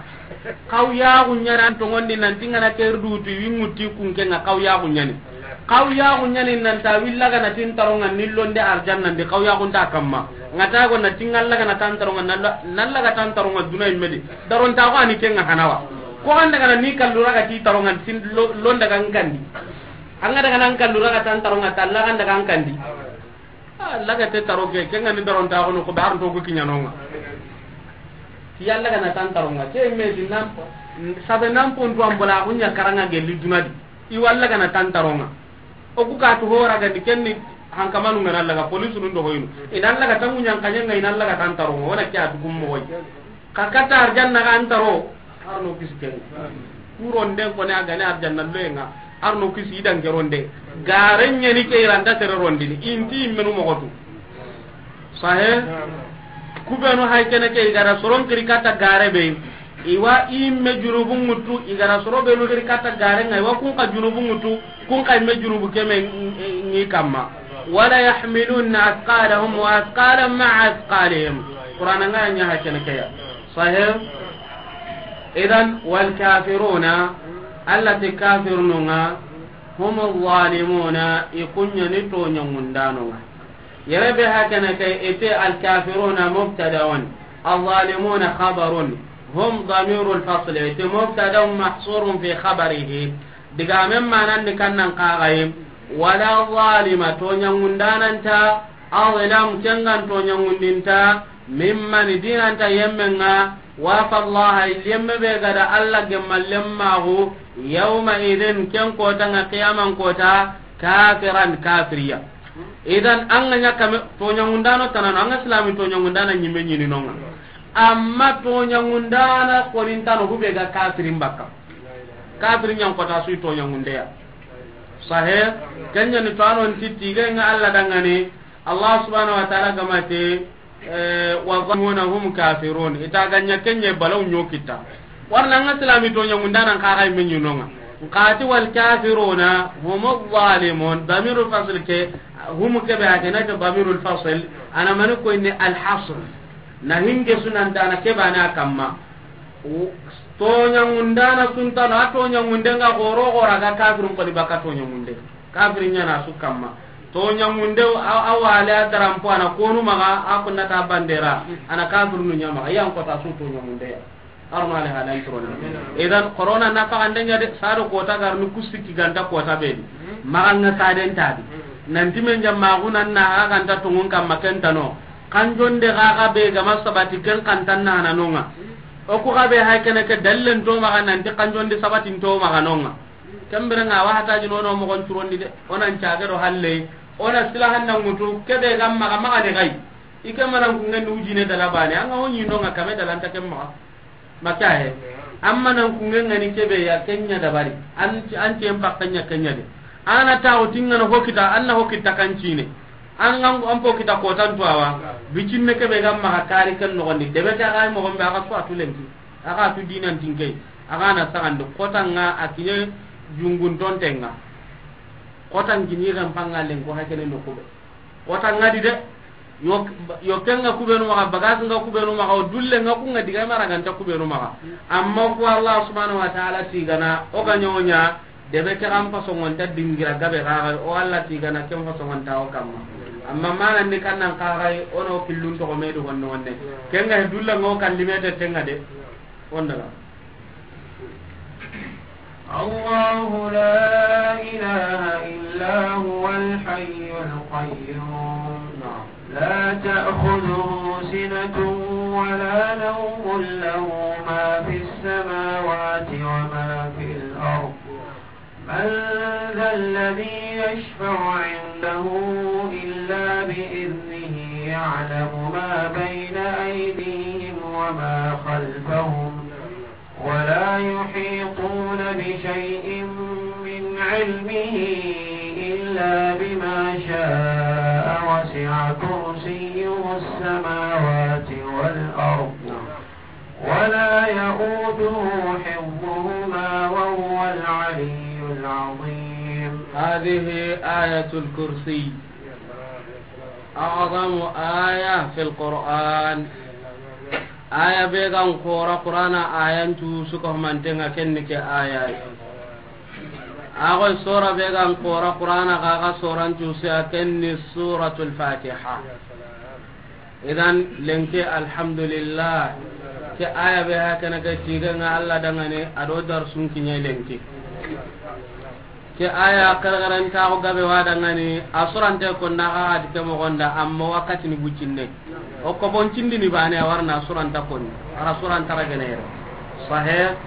Kaw ya gunyara antongondi nanti ngana kerdu tu wi muti kunke nga kaw ya gunyani. Kaw ya gunyani nanta willaga na tin taronga nillonde arjanna ndi kaw ya gunta kamma. Ngata go na tingallaga na tan taronga nalla, nallaga tan taronga duna imedi. Daron ta ko ani kenga hanawa. Ko anda kana ni kallura ga ti taronga tin lo-, londa ga ngandi. Anga daga nan kallura ga tan taronga talla ga daga ngandi. Ah, laga te taro ke, kenga ni daron ta ko no ko bar to ko kinyano nga. Ti yalla ga na tan taronga. Ke me di nan sabe nan pon to ambola gunya karanga gelli dunadi. I walla gana tan taronga. O ku ka tu hora gandi kenni hankamanu ngana laga polisu nun do hoyinu. Ina laga tangu nyankanya nga ina laga tan taronga. Wona kya tu gummo hoy. Ka kata arjanna ga antaro. Arno kisi ken. Kuronde ko ne agane arjanna loenga. Arno kisi idan geronde. Garenya ni ke iranda tere rondini. Inti menu mogotu. Sahe? Kubenu hay kene ke igara soron kiri kata gare be. Iwa imme junubu ŋutu, igara soro benu kiri kata gare nga, iwa kun ka junubu ŋutu, kun ka imme junubu keme ngi kamma. Wala yahmilunna athqalahum wa athqalan ma'a athqalihim. Qur'an nga nya ha kene ke ya. Sahe? Idan wal kafiruna, allati kafirnunga, hum zalimuna, ikunya ni to nyangundano nga. Yere be hakene ke ite alkafiruna mubtadaun, alzalimuna khabarun, hum damirul fasl, ite mubtadaun mahsurun fi khabarihi. Digamen manan ni kannan kagayi, wala zalima to nyangundananta, azlam kengan to nyangundinta, mimman dinanta yemmenga, wafa Allah, yemme be gada Allah gemma lemmagu, yawma idin ken kota nga qiyaman kota, kafiran kafiriya. Idan an ga ɲa kame toɲangundano tanano, an ga silami toɲangundana ɲimme ɲini nonga. Amma toɲangundana konintano hube ga kafirin bakka. Kafirin ɲan kota sui toɲangundeya. Sahe, kenya ni to anon titti ga nga Allah dangane. Allah subhanahu wa ta'ala gamate. Eh, wa zalimuna hum kafirun. Ita ganya kenye balaw nyo kita. Warna nga silami to nyamunda nan ka ga men nyinonga. Nka ti wal kafiruna hum zalimun. Damirul fasl ke, hum ke be hakana ke damirul fasl. Ana mani ko inni al hasr. Na hinge sunan dana ke bana kamma. Toña ngundana suntano, a toña ngunde nga goro gora ga kafirun koni baka toña ngunde. Kafirin ñana su kamma. Toña ngunde a, a wale a darampo ana konu maga, a kunnata bandera, ana kafirunu ña maga, yan kota su toña ngunde ya. Armale halan turoni. Idan corona na faga ndenya de, sado kota garnu kusiki ganta kota bedi. Maga nga saden tabi. Nanti men jamma gunan na aga ganta tungun kamma kentano. Kanjonde ga ga be gama sabati ken kantan na hananonga. O ku ga be hay kene ke dallen to maga nanti kanjonde sabatin to maga nonga. Kembere nga wa hata jino no mo gon turondi de. Onan caage do halle. Ona sila hanna ngutu kebe gam maga maga de gai. Ike manan kungen ujine dala bane. Anga woni nonga kame dalanta kem maga. Maka he. Amma nan kungen ngani kebe ya kenya dabari. An, an tem pakkanya kenya de. Ana ta o tingana hokita, anna hokita kancine. An ngan an po kita kotan to awa. Bicinne kebe gam maga kari kan no gondi. Debe ta ga mo gombe aga so atulenki. Aga tu dinan tinke. Aga na sagande kotanga akinye jungun tontenga. Kotan gini ran pangalen ko hakene no kube. Kota ngadi de. Yo, yo kenga kubenu maga, bagas nga kubenu maga, o dulle nga kunga diga mara ganta kubenu maga. Amma ku Allah subhanahu wa ta'ala tigana, o ga nyonya, debe ke ram pasongon ta dingira gabe gaga, o Allah tigana kem pasongon ta o kamma. Amma mana ni kannan kagai, ono killun to medu wonne wonne. Kenga dulle ngo kan limete tenga de. Onda. الله لا إله إلا هو الحي القيوم. لا تأخذه سنة ولا نوم له ما في السماوات وما في الأرض. من ذا الذي يشفع عنده إلا بإذنه يعلم ما بين أيديهم وما خلفهم ولا يحيطون بشيء من علمه إلا بما شاء وسع كرسيه السماوات والأرض ولا يؤوده حفظهما وهو العلي العظيم. هذه آية الكرسي. أعظم آية في القرآن. Aya be gan kora Qur'ana ayan tu suka mantenga kenni ke aya. Ago sura be gan kora Qur'ana ga ga suran tu sa kenni Suratul Fatiha. Idan lenki alhamdulillah. Ke aya be ha kana ke tiga nga Allah dangane ado dar sun kinya lenki. Ke aya kargaran ta ko gabe wada ngani asurante ko na ga di ke mo gonda amma wakati ni bucinne. O ko bon cindi ni bane a warna asuranta ko ni. Ara suranta ragene yere. Sahih.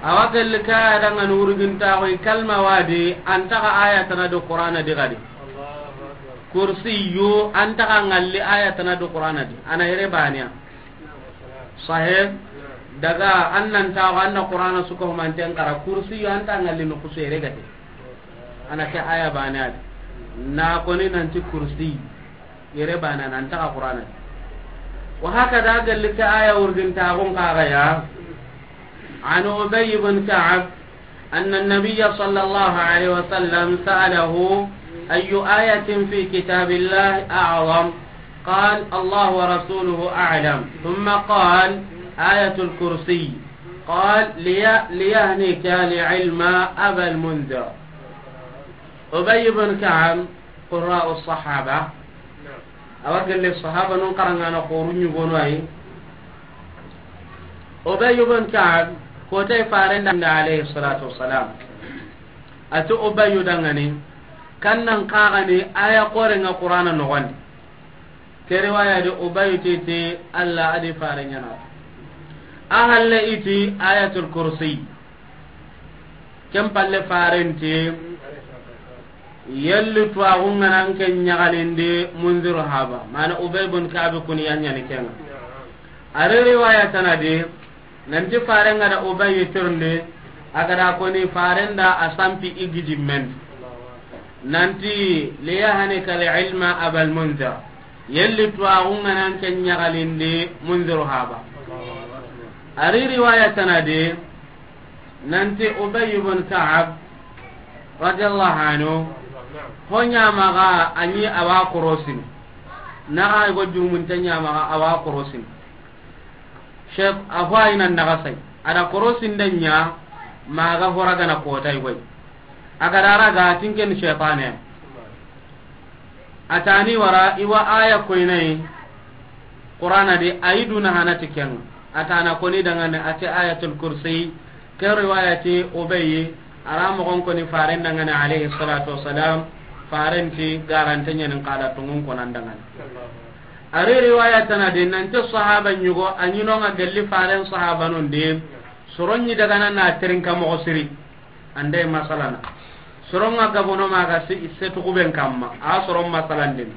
Awa gelle ka aya dangani urgin ta ko kalma wadi anta ga aya tana do Qur'ana di gadi. Kursiyu anta ga ngalli aya tana do Qur'ana di. Ana yere baniya. Sahih. Daga annan ta anna Qur'ana suko manten kara kursiyu anta ngalli no kusere gade. Ana ke aya bane adi. Na koni nanti kursi. Yere bana nan ta Qur'ana. Wa hakada galli ke aya urgin ta gon kaga ya. عن أبي بن كعب أن النبي صلى الله عليه وسلم سأله: أي آية في كتاب الله أعظم؟ قال: الله ورسوله أعلم. ثم قال: آية الكرسي. قال: لي-، ليهنك العلم أبا المنذر. Ubay ibn Ka'b, qurra'u sahaba. Awa gelle sahaba nun karangana xoru ñugono ay. Ubay ibn Ka'b, kotay faren da alayhi salatu wassalam. Ati Ubayu dangani, kannan kagani aya korenga Qur'ana nogondi. Ke riwaya di Ubayu titi Allah adi fare ñana. A halle iti Ayatul Kursi. Ken palle farenti yelli tuwaxu ŋanan ke ñaxalindi Munziru haba. Mana Ubay bun Kabi kuni ya ñani kenga. Ari riwaya tanadi, nanti faren ga da Ubayy tirindi, a ga da koni faren da a sampi i gijimmen. Nanti, "Liyahanika al-ilma Abal Munzir." Yelli tuwaxu ŋanan ke ɲaxalindi Munziru haba. A ri riwaya tana de, nanti Ubay ibn Ka'ab radiyallahu anhu, ho ɲamaxa a ɲi a wa korosini. Naxa go jurumunte ɲamaxa a wa korosini. Shayt-, a ho a yi nan naxa say. A da korosinde ɲa, maxa hora gana kota yi goy. A ga da raga tinken shaytane. A tani wara i wa aya koynayi Qur'ana di, a yi duna hanati ken. A tana koni dangane a ti Ayatul Kursi. Ke riwaya ti Ubayyi, a ra moxon koni faren dangane alayhi salatu wassalam. Faren ti garante ɲanin qala tungun konan dangane. A ri riwaya tana de nanti sahaba ɲugo a ɲinonga gelli faren sahabanun di. Soron ɲi dagana na terinka moxo siri. Ande masalana. Soronga gabono maga si, se tukuben kamma. A soron masalan din.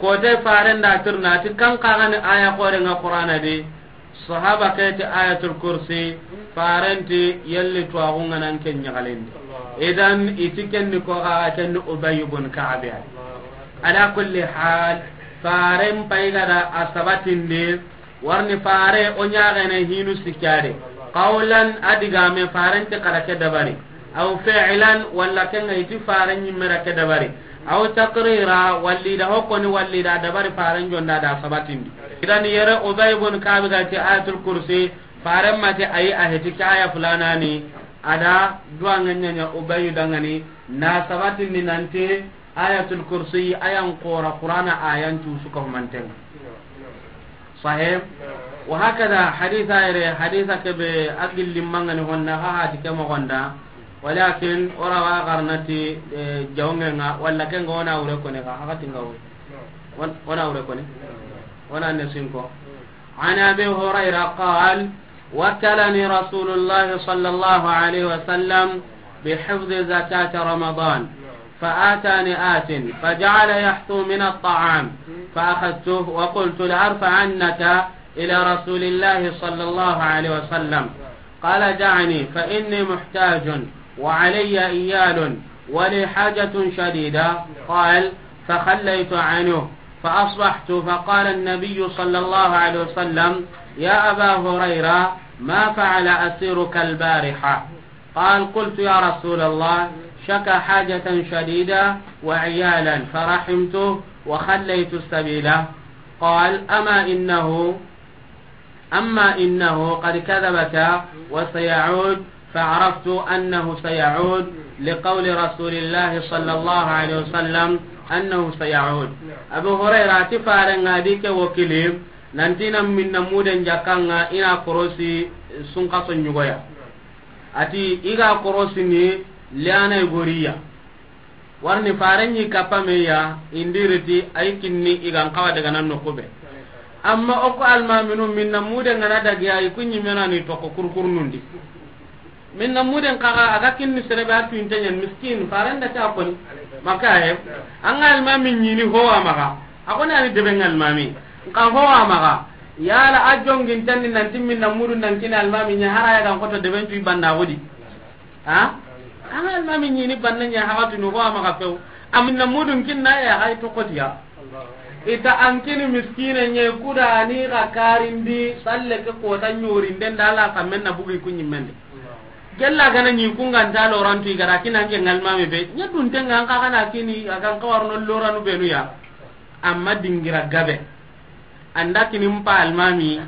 Kote faren da tirna ti kan kagani aya korenga Qur'ana di. Sahaba keti Ayatul Kursi. Faren ti yelli tuwaxu ŋanan ke ɲaxalindi. Idan iti kenni ko ga kenni Ubay ibn Ka'ab ya. Ala kulli hal, faren payga da a sabatindi. Warni fare o ɲaxene hinu sikkade. Qawlan, a digame farenti xara ke dabari. Aw fi'lan, walla kenga iti fare ɲimmera ke dabari. Aw taqrira, walli da hokkoni, walli da dabari faren jonda da sabatindi. Idan yere Ubay ibn Ka'ab ga ti Ayatul Kursi, faren mati ayi a heti ke aya fulanani, a da duwa ŋa ɲaɲa Ubayu dangani, na sabatindi nanti Ayatul Kursi ayan qora Qur'ana ayan tu suka humanten. Sahih. Wa hakada haditha yere, haditha kebe a gilli mangani honna ha hati ke mogonda. Walakin ora wa garnati, eh, jawngenga, walla kenga ona wure kone ka, hakati nga wure. Wan-, ona wure kone. Ona ne sinko. عن أبي هريرة قال: وكلني رسول الله صلى الله عليه وسلم بحفظ زكاة رمضان، فأتاني آت فجعل يحثو من الطعام، فأخذته وقلت لأرفعنك إلى رسول الله صلى الله عليه وسلم. قال: دعني فإني محتاج وعلي إيال ولي حاجة شديدة. قال: فخليت عنه فأصبحت فقال النبي صلى الله عليه وسلم: يا أبا هريرة، ما فعل أسيرك البارحة؟ قال: قلت: يا رسول الله، شكا حاجة شديدة وعيالا فرحمته وخليت سبيله. قال: أما إنه أما إنه قد كذبك وسيعود، فعرفت أنه سيعود لقول رسول الله صلى الله عليه وسلم أنه سيعود. Abu Hurayra ti faren ŋa di ke wokili, nanti na minna muden jakanga ina korosi sunkaso ɲugoya. Ati iga korosini liana igoriya. Warni faren ɲi kappa meya, indiriti ay kinni igan kawa daga nan nokube. Amma oko almaminu minna mude ngana dagiya ikunyi menani toko kurkurnundi. Minna muden kaga aga kinni serebe a tuintenyen miskin, faren da ta koni. Makaye, anga almami ɲini ho amaga. Akoni ani debe ngalmami. Nka ho amaga. Yala a jongin tanni nanti minna mudu nan kini almami ɲa hara ya gan koto deben tu ibanda wodi. Ha? An almami ɲini banna ɲa haxatunu ho amaxa few. Aminna mudun kinna ya hay tokotiya. Ita an kini miskine ɲe kuda ni xa karindi salle ke kota ɲori nden da la xa menna bugi kunyi mende. Gella gana ɲi kunganta lorantu igara kina ke ngalmami be ɲa dun tenga an xa kana kini akan kawarno loranu benu ya. Amma dingira gabe. Anda kini mpa almami,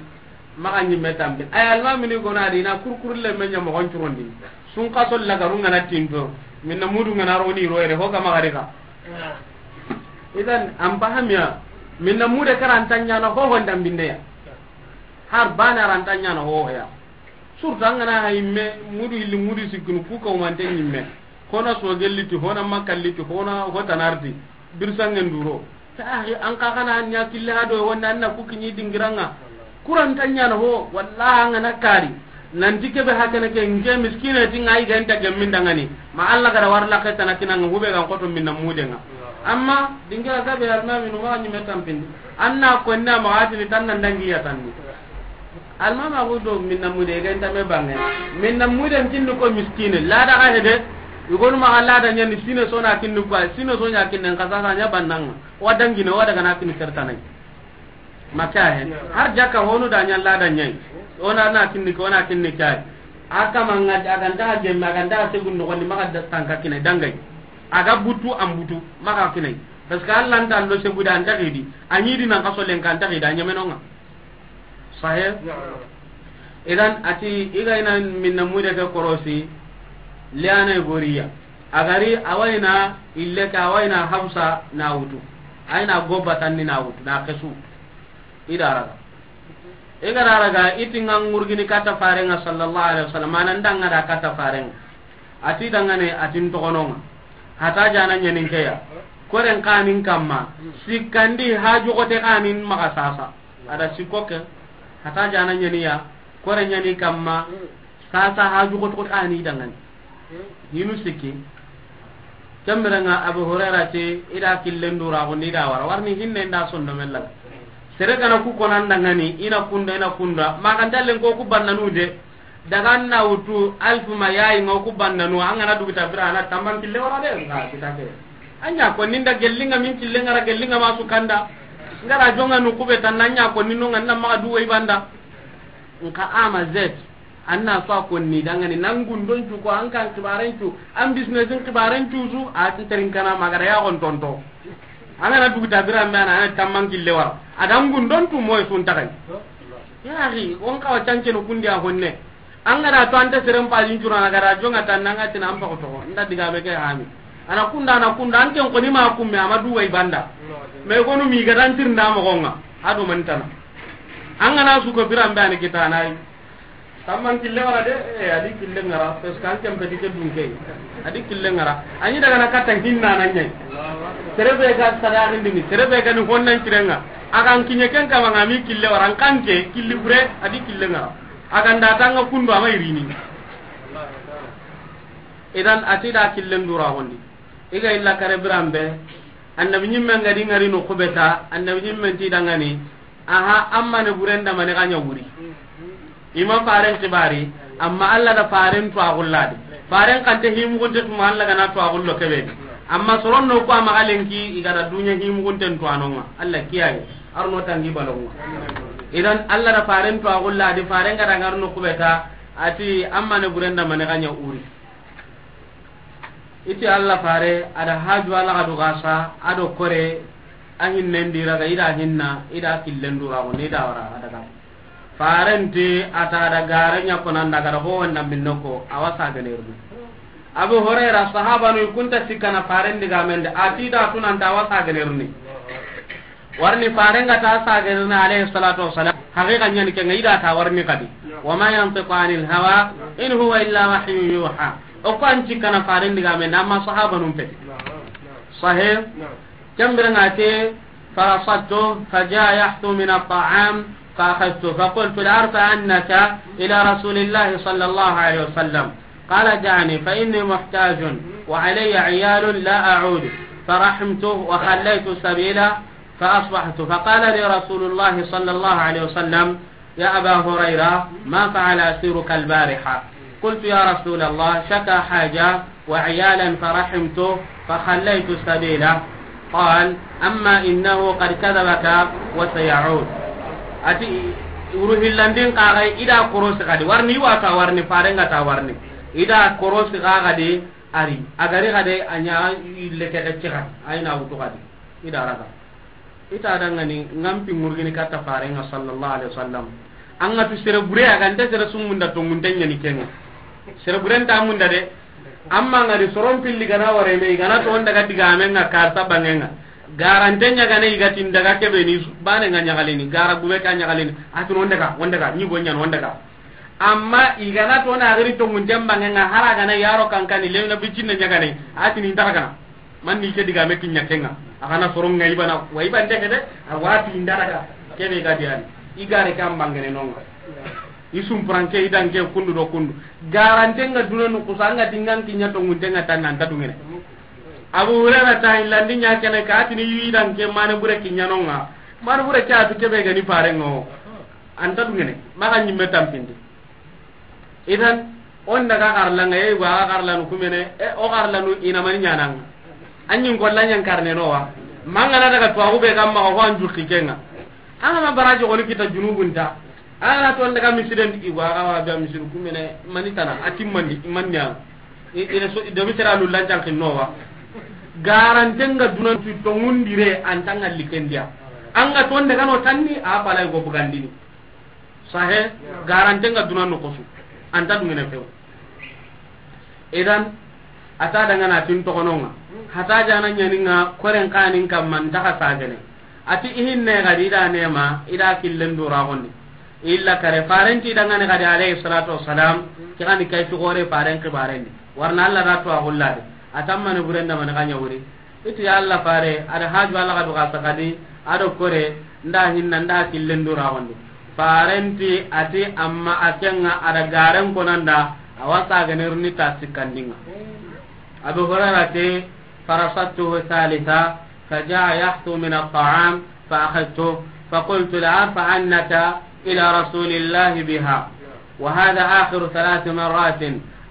maxa ɲimme tampi. Ay almami ni gona di na kurkuru le men ɲa moxon curondi. Sun kaso lagaru ngana tinto. Minna mudu ngana roni roere ho kama gari ka. Idan an pahamiya. Minna mude karanta ɲana ho ho ndambinde ya. Har bana ranta ɲana ho ya. Surtout an gana ha yimme, mudu illi mudu sikkunu ku kawmante ɲimme. Hona sogelli ti, hona makkalli ti, hona hotanarti. Birsangen duro. Ta ahi, an ka kana nya kille ha do wonda anna ku kinyi dingiranga. Kuranta ɲana ho, wallahi an gana kari. Nanti kebe hakana ke nge miskine ti ngai ganta gemmin dangani. Ma Allah gara warla ke tana kinanga hube gan koto minna mudenga. Amma dingira gabe almami no ma ɲimme tampindi. Anna ko nda ma atini tanna ndangi ya tanni. Almama ko do minna mude ga inta me bange. Minna mude kinni ko miskine. Lada ga hede. Igonu ma lada ɲani sine sona kinni ko. Sine sonya kinni ka sasa ɲa bannanga. Wa dangine, wa daga na kini sertanai. Maka he. Har jakka honu da ɲa la da ɲai. Ona na kinni ko, ona kinni kai. Aka manga, a ga nta gemme, a ga nta segun no, woni maxa da tanka kine dangai. A ga butu, an butu, maxa kine. Parce que Allah nta lo segu da, an ta xidi. A ɲi di nan kaso len kan ta xidi, a ɲemenonga. Sahih? Na'am. Idan, ati, i ga ina minna mude ke korosi, liana goriya. A gari, a wa ina ille ke, a wa ina Hafsa na wutu. A ina goba tanni na wutu, na kesu. I da raga. I ga da raga, i ti nga ngurgini kata farenga sallallahu alaihi wasallam, mana ndanga da kata farenga. Ati dangane, atin togononga. Hata jana ɲanin keya. Koren kanin kamma. Sikkandi haju kote kanin maga sasa. Ada sikko ke. Hata jana ɲaniya. Kore ɲani kamma. Sasa haju kote kote kani dangane. Hinu sikki. Kemberenga Abu Hurairah ti, i da killen dura ko ni da wara. Warni hinne nda sondo mella. Sere kana ku konan dangani, ina kunda, ina kunda. Maga ndallen ko ku bannanu de. Daga na wutu alfu ma yayi nga ku bannanu, an ga na dugu ta bira na tamman kille wara de, nga kita ke. Anya ko ninda gellinga min kille ngara gellinga masu kanda. Ngara jonga nu kube tan anya ko ninu nga na ma du wai banda. Nka ama zet. Anna so ko ni dangani nan gundon cu ko an kan kibaren cu, an business in kibaren cu su, a tin terin kana magara ya gon tonto. An ga na dugu ta bira me ana tamman kille wara. Adan gundon tu moy sun takai. Ya axi, on kawa cancenu kundi a honne. An ga da to anta seren pajin curana ga da jonga tan nanga tina an paxo toxo. Nda diga me ke hami. Ana kunda, ana kunda, an ken koni ma kumme, ama duwa i banda. Me gonu mi ga dan tirnda moxonga. Ado mantana. An ga na su ko biran be ani kitana yi. Tamman kille wara de, eh, adi kille ngara, parce que an ken peti ke dunke. Adi kille ngara. Ani daga na katan hinna nan ɲai. Sere be ga sadaxin dini, sere be ga ni honnan cirenga. Akan kiɲe ken kama ngami kille wara, an kanke, killi bure, adi kille ngara. Akan da tanga kundu ama irini. Idan ati da killen dura hondi. I ga illa kare biran be, annabi ɲimmen ga di ngari no kubeta, annabi ɲimmen ti dangani, aha, amma ne burenda mani ga ɲa wuri. I ma faren kibari, amma Allah da faren to agulla di. Faren kante himugunte tuma Allah ga na to agullo kebe. Amma soron no ko ama galenki i ga da dunya himugunten to anonga. Allah kiyaye, arno tangi balonga. Idan Allah da faren to agulla di, faren ga da ngarno kubeta, ati amma ne burenda mani ga ɲa wuri. Iti Allah fare, ada haju ala ga do gasa, ado kore, a hinnen di raga, ida hinna, ida killen dura ko ni da wara, ada ga. Farenti ata da garanya ko nan daga ho wanda minnoko, awasa ganerni. Abu Huraira sahaba no kunta sikana farendi ga mende, ati da tunan ta awasa ganerni. Warni farenga ta sagerina alayhi salatu wassalam. Haqiqa ɲani kenga ida ta warni kadi. Wa ma yantiqu anil hawa in huwa illa wahyun yuha. O ko an cikkana faren diga men amma sahaba num pe. Sahih. Kambira ngate, فرصدته فجاء يحثو من الطعام فأخذته فقلت لأرفعنك إلى رسول الله صلى الله عليه وسلم. قال دعني فإني محتاج وعلي عيال لا أعود. فرحمته وخليت سبيله فأصبحت فقال لي رسول الله صلى الله عليه وسلم: يا أبا هريرة، ما فعل أسيرك البارحة؟ قلت: يا رسول الله، شكا حاجة وعيالا فرحمته فخليت سبيله. قال: أما إنه قد كذبك وسيعود. Ati, wuru hillandin kagai ida korosi kadi warni, wata warni, farenga ta warni. Ida korosi kagadi ari, agari kade anya ille keke cika, aina wutu kadi. Ida raga. Ita dangani ngampi ngurgini kata farenga sallallahu alaihi wasallam. Anga tu sere bure, agante sere sumunda to munten ɲani kenga. Sere bure nta munda de. Amma ngari soron pilli gana ware me, gana to onda ga diga menga karta bangenga. Garante ɲagane igatin daga kebe ni bane nga ɲagalini, gara gube ka ɲagalini. Atun onda ga, onda ga, ni gonya onda ga. Amma igana to na gari to munten bangenga, hara gana yaro kankani lewna bicinne ɲagane. Atini ndagana. Man ni ke diga me kinya kenga. Agana soronga ibana, wa iban de kede, awati indaraga. Kebe ga diani. Igare kam bangene nonga. Isum pranke idanke kundu do kundu. Garante nga duna nu kusanga dingan kinya to ngunte nga tan anta dungene. Abu Hurairah ta illandi nya kene ka atini idanke mane bure kinya nonga. Mane bure ka atu kebe gani parengo. Anta dungene. Maga nyimme tampindi. Idan, on daga garlanga, e, wa garlanu kumene, e, o garlanu ina mani ɲananga. Anyin golla ɲan karne no wa. Mangana daga tuwaxu be ga maxa, ho an jukki kenga. An ga ma baraji xoni kita junubunta. An ga na ton daga misiden di, i go a ga wa ga misidu kumene mani tana, a timmandi, i manni an. I, i reso, i domi sera lullan can kinno wa. Garanten ga dunan tu tongundire, an tanga likendiya. An ga ton daga no tanni, a pala i go bugandini. Sahe, garanten ga dunan no kosu. An ta dungene few. Idan, a ta dangana tin toxononga. Hata jana ɲaninga, koren kanin kamma, ntaxa sagene. Ati ihinne gadi, ida nema, ida killen dura gondi. Illa kare, farenti dangane gadi, alayhi salatu wassalam, kigani kay tugore faren kibarendi. Warna Allah da to a gullade. Atammani burenda mani ganya wuri. Iti ya Allah fare, ada haju Allah gadu gasa gadi, ado kore, nda hinna, nda killen dura gondi. Farenti ati amma akenga ada garen konanda, awasa ganirni ta sikandinga. Abu Hurairah te, فرصدته ثالثا، فجاء يحثو من الطعام، فأخذته، فقلت: لأرفعنك إلى رسول الله بها، وهذا آخر ثلاث مرات،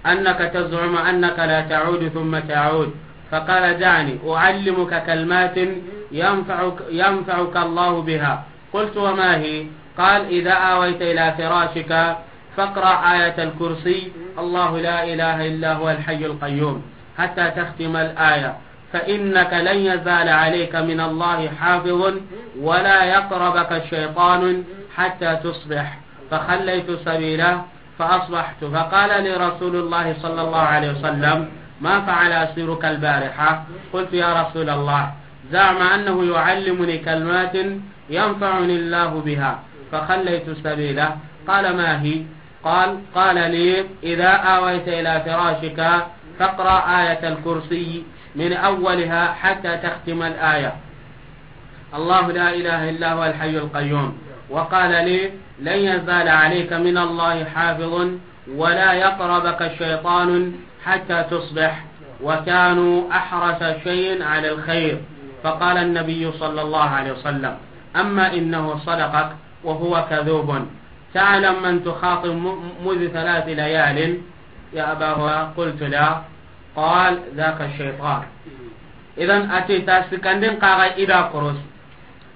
أنك تزعم أنك لا تعود ثم تعود. فقال: دعني أعلمك كلمات ينفعك، ينفعك الله بها. قلت: وما هي؟ قال: إذا آويت إلى فراشك فاقرأ آية الكرسي، الله لا إله إلا هو الحي القيوم، حتى تختم الآية، فإنك لن يزال عليك من الله حافظ، ولا يقربك الشيطان حتى تصبح. فخليت سبيله فأصبحت، فقال لي رسول الله صلى الله عليه وسلم: ما فعل أسيرك البارحة؟ قلت: يا رسول الله، زعم أنه يعلمني كلمات ينفعني الله بها، فخليت سبيله. قال: ما هي؟ قال: قال لي: إذا آويت إلى فراشك فاقرأ آية الكرسي من أولها حتى تختم الآية، الله لا إله إلا هو الحي القيوم. وقال لي: لن يزال عليك من الله حافظ، ولا يقربك الشيطان حتى تصبح، وكانوا أحرص شيء على الخير. فقال النبي صلى الله عليه وسلم: أما إنه صدقك وهو كذوب، تعلم من تخاطب م-، منذ ثلاث ليال يا أبا هريرة؟ قلت: لا. قال: ذاك الشيطان. Idan ati ta sikandin kaga ida koros.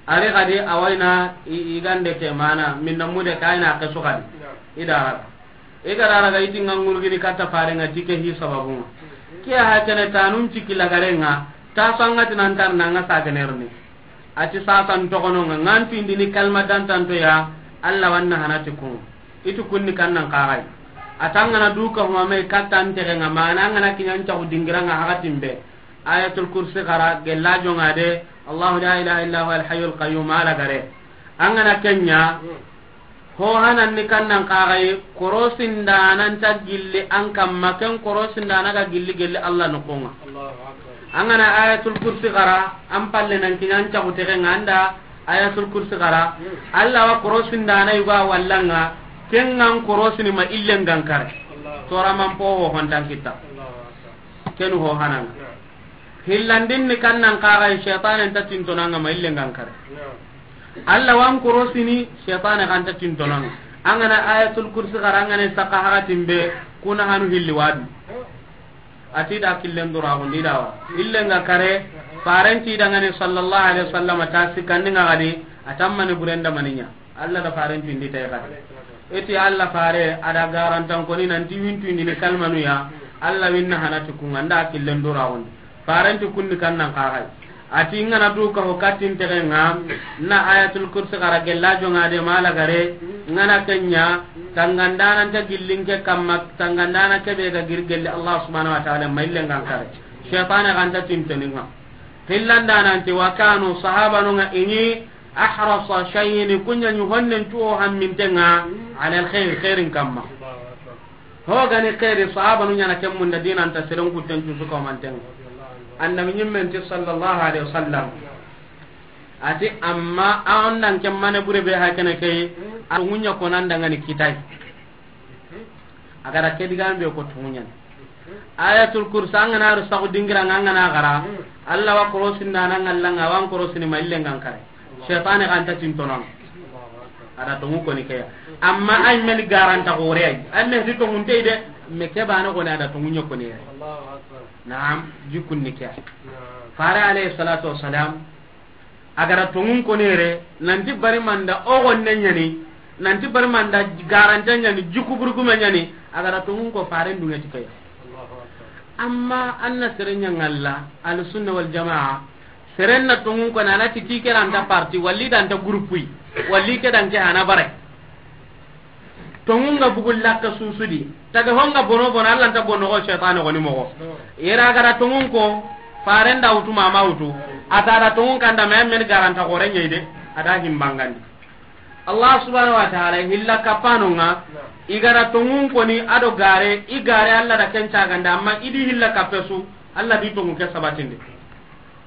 Ari gadi awayna i-, igande ke mana minna mude kayna ke sugadi. Ida raga. Iga da raga iti nga ngurgini katta farenga tike hi sababunga. Kiya hakene tanun ciki lagarenga, ta sangati nan tar nanga sagenerni. Ati sasan togononga, ngantu indini kalma dantanto ya, Allah wanna hanati kun. Itu kunni kannan kagai. Atangana duka humame katta antegenga, mana angana kinyan cagu dingiranga hakatimbe. Ayatul Kursi gara, gella jonga de, Allahu la ilaha illa huwa al hayyul qayyum ala gare. Angana kenya, ho hanan ni kannan kagai, korosin danan ta gilli an kamma, ken korosin dana ga gilli gelli Allah nokonga. Allahu Akbar. Angana Ayatul Kursi gara, an palle nan kinan cagu tegenga anda Ayatul Kursi gara, Allah wa korosin dana yuga wallanga, kengan korosini ma illen gankare. Allahu. Tora man po ho hontan kita. Allahu Akbar. Kenu ho hananga. Hillandin ni kannan kagai, shaytanen ta tintonanga ma illen gankare. Allah wan korosini, shaytane kan ta tintonanga. Angana Ayatul Kursi gara, angana saka hakatimbe, kuna hanu hilli wadu. Ati da killen dura gundi dawa. Illen ga kare, farenti dangane sallallahu alaihi wasallam ta sikandinga gadi, atammani burenda maninya. Allah da farentu indi tay kadi. Iti Allah fare ada garantan koni nanti wintu indi ni kalmanu ya. Allah winna hanati kunga nda killen dura gundi. Farentu kunni kannan kagai. Ati ngana duka ho katin tegenga, na Ayatul Kursi gara gella jonga de mala gare, ngana kenya, tangandana ta gillinke kamma, tangandana kebe ga girgelle Allah subhanahu wa ta'ala maillen gankare. Shaytane ganta tintoninga. Hillandana anti wa kanu sahabanunga ini ahrasa shay'in, kunya ni honnen tuo hammintenga, ala al khair, khairin kamma. Ho gani khairi, sahabanu nyana kemmunda dinanta seren kutten cusu ko mantenga. Annabi nyimmen ti sallallahu alaihi wasallam. Ati amma a ondan kemmane bure be hakene kay, a ngunya ko nan dangani kitai. Agara ke digambe ko tungunyani. Ayatul Kursi angana ru sagu dingira angana gara. Allah wa korosindana ngallanga wan korosini maillen gankare. Shaytane ganta tintonon. Ada tungu koni keya. Amma ay meni garanta gore ay. Ay meni tungunte de. Me ke bana koni ada tungu nyokoni. Naam, jikunni keya. Fare alayhi salatu wassalam. A ga da tonŋun koni yere, nanti bari manda o gonne ɲa ni, nanti bari manda garante ɲa ni, jikku burgume ɲa ni, a ga da tonŋun ko faren duŋe ti ke ya. Amma an na sere ɲa ŋalla, Ahlu Sunna wal Jamaa, seren na tonŋun koni, a na ti ti ke ra nta parti, walla i da nta groupe yi, walla i ke da nke hana bare. Tonŋun ga bugu lakke suusu di. Tage ho ŋa bono bono, Alla nta bono ko seytaane goni moxo. Yere a ga da tonŋun ko, faren da wutu, ma ma wutu. A ta da tonŋun kanda, me men garanta xore ɲa yi de, a da himbangandi. Allah subhanahu wa ta'ala, hilla kappano ŋa, i ga da tonŋun koni, a do gare, i gare Alla da ken cagandi, amma i di hilla kappe su, Alla di tonŋu ke sabatindi.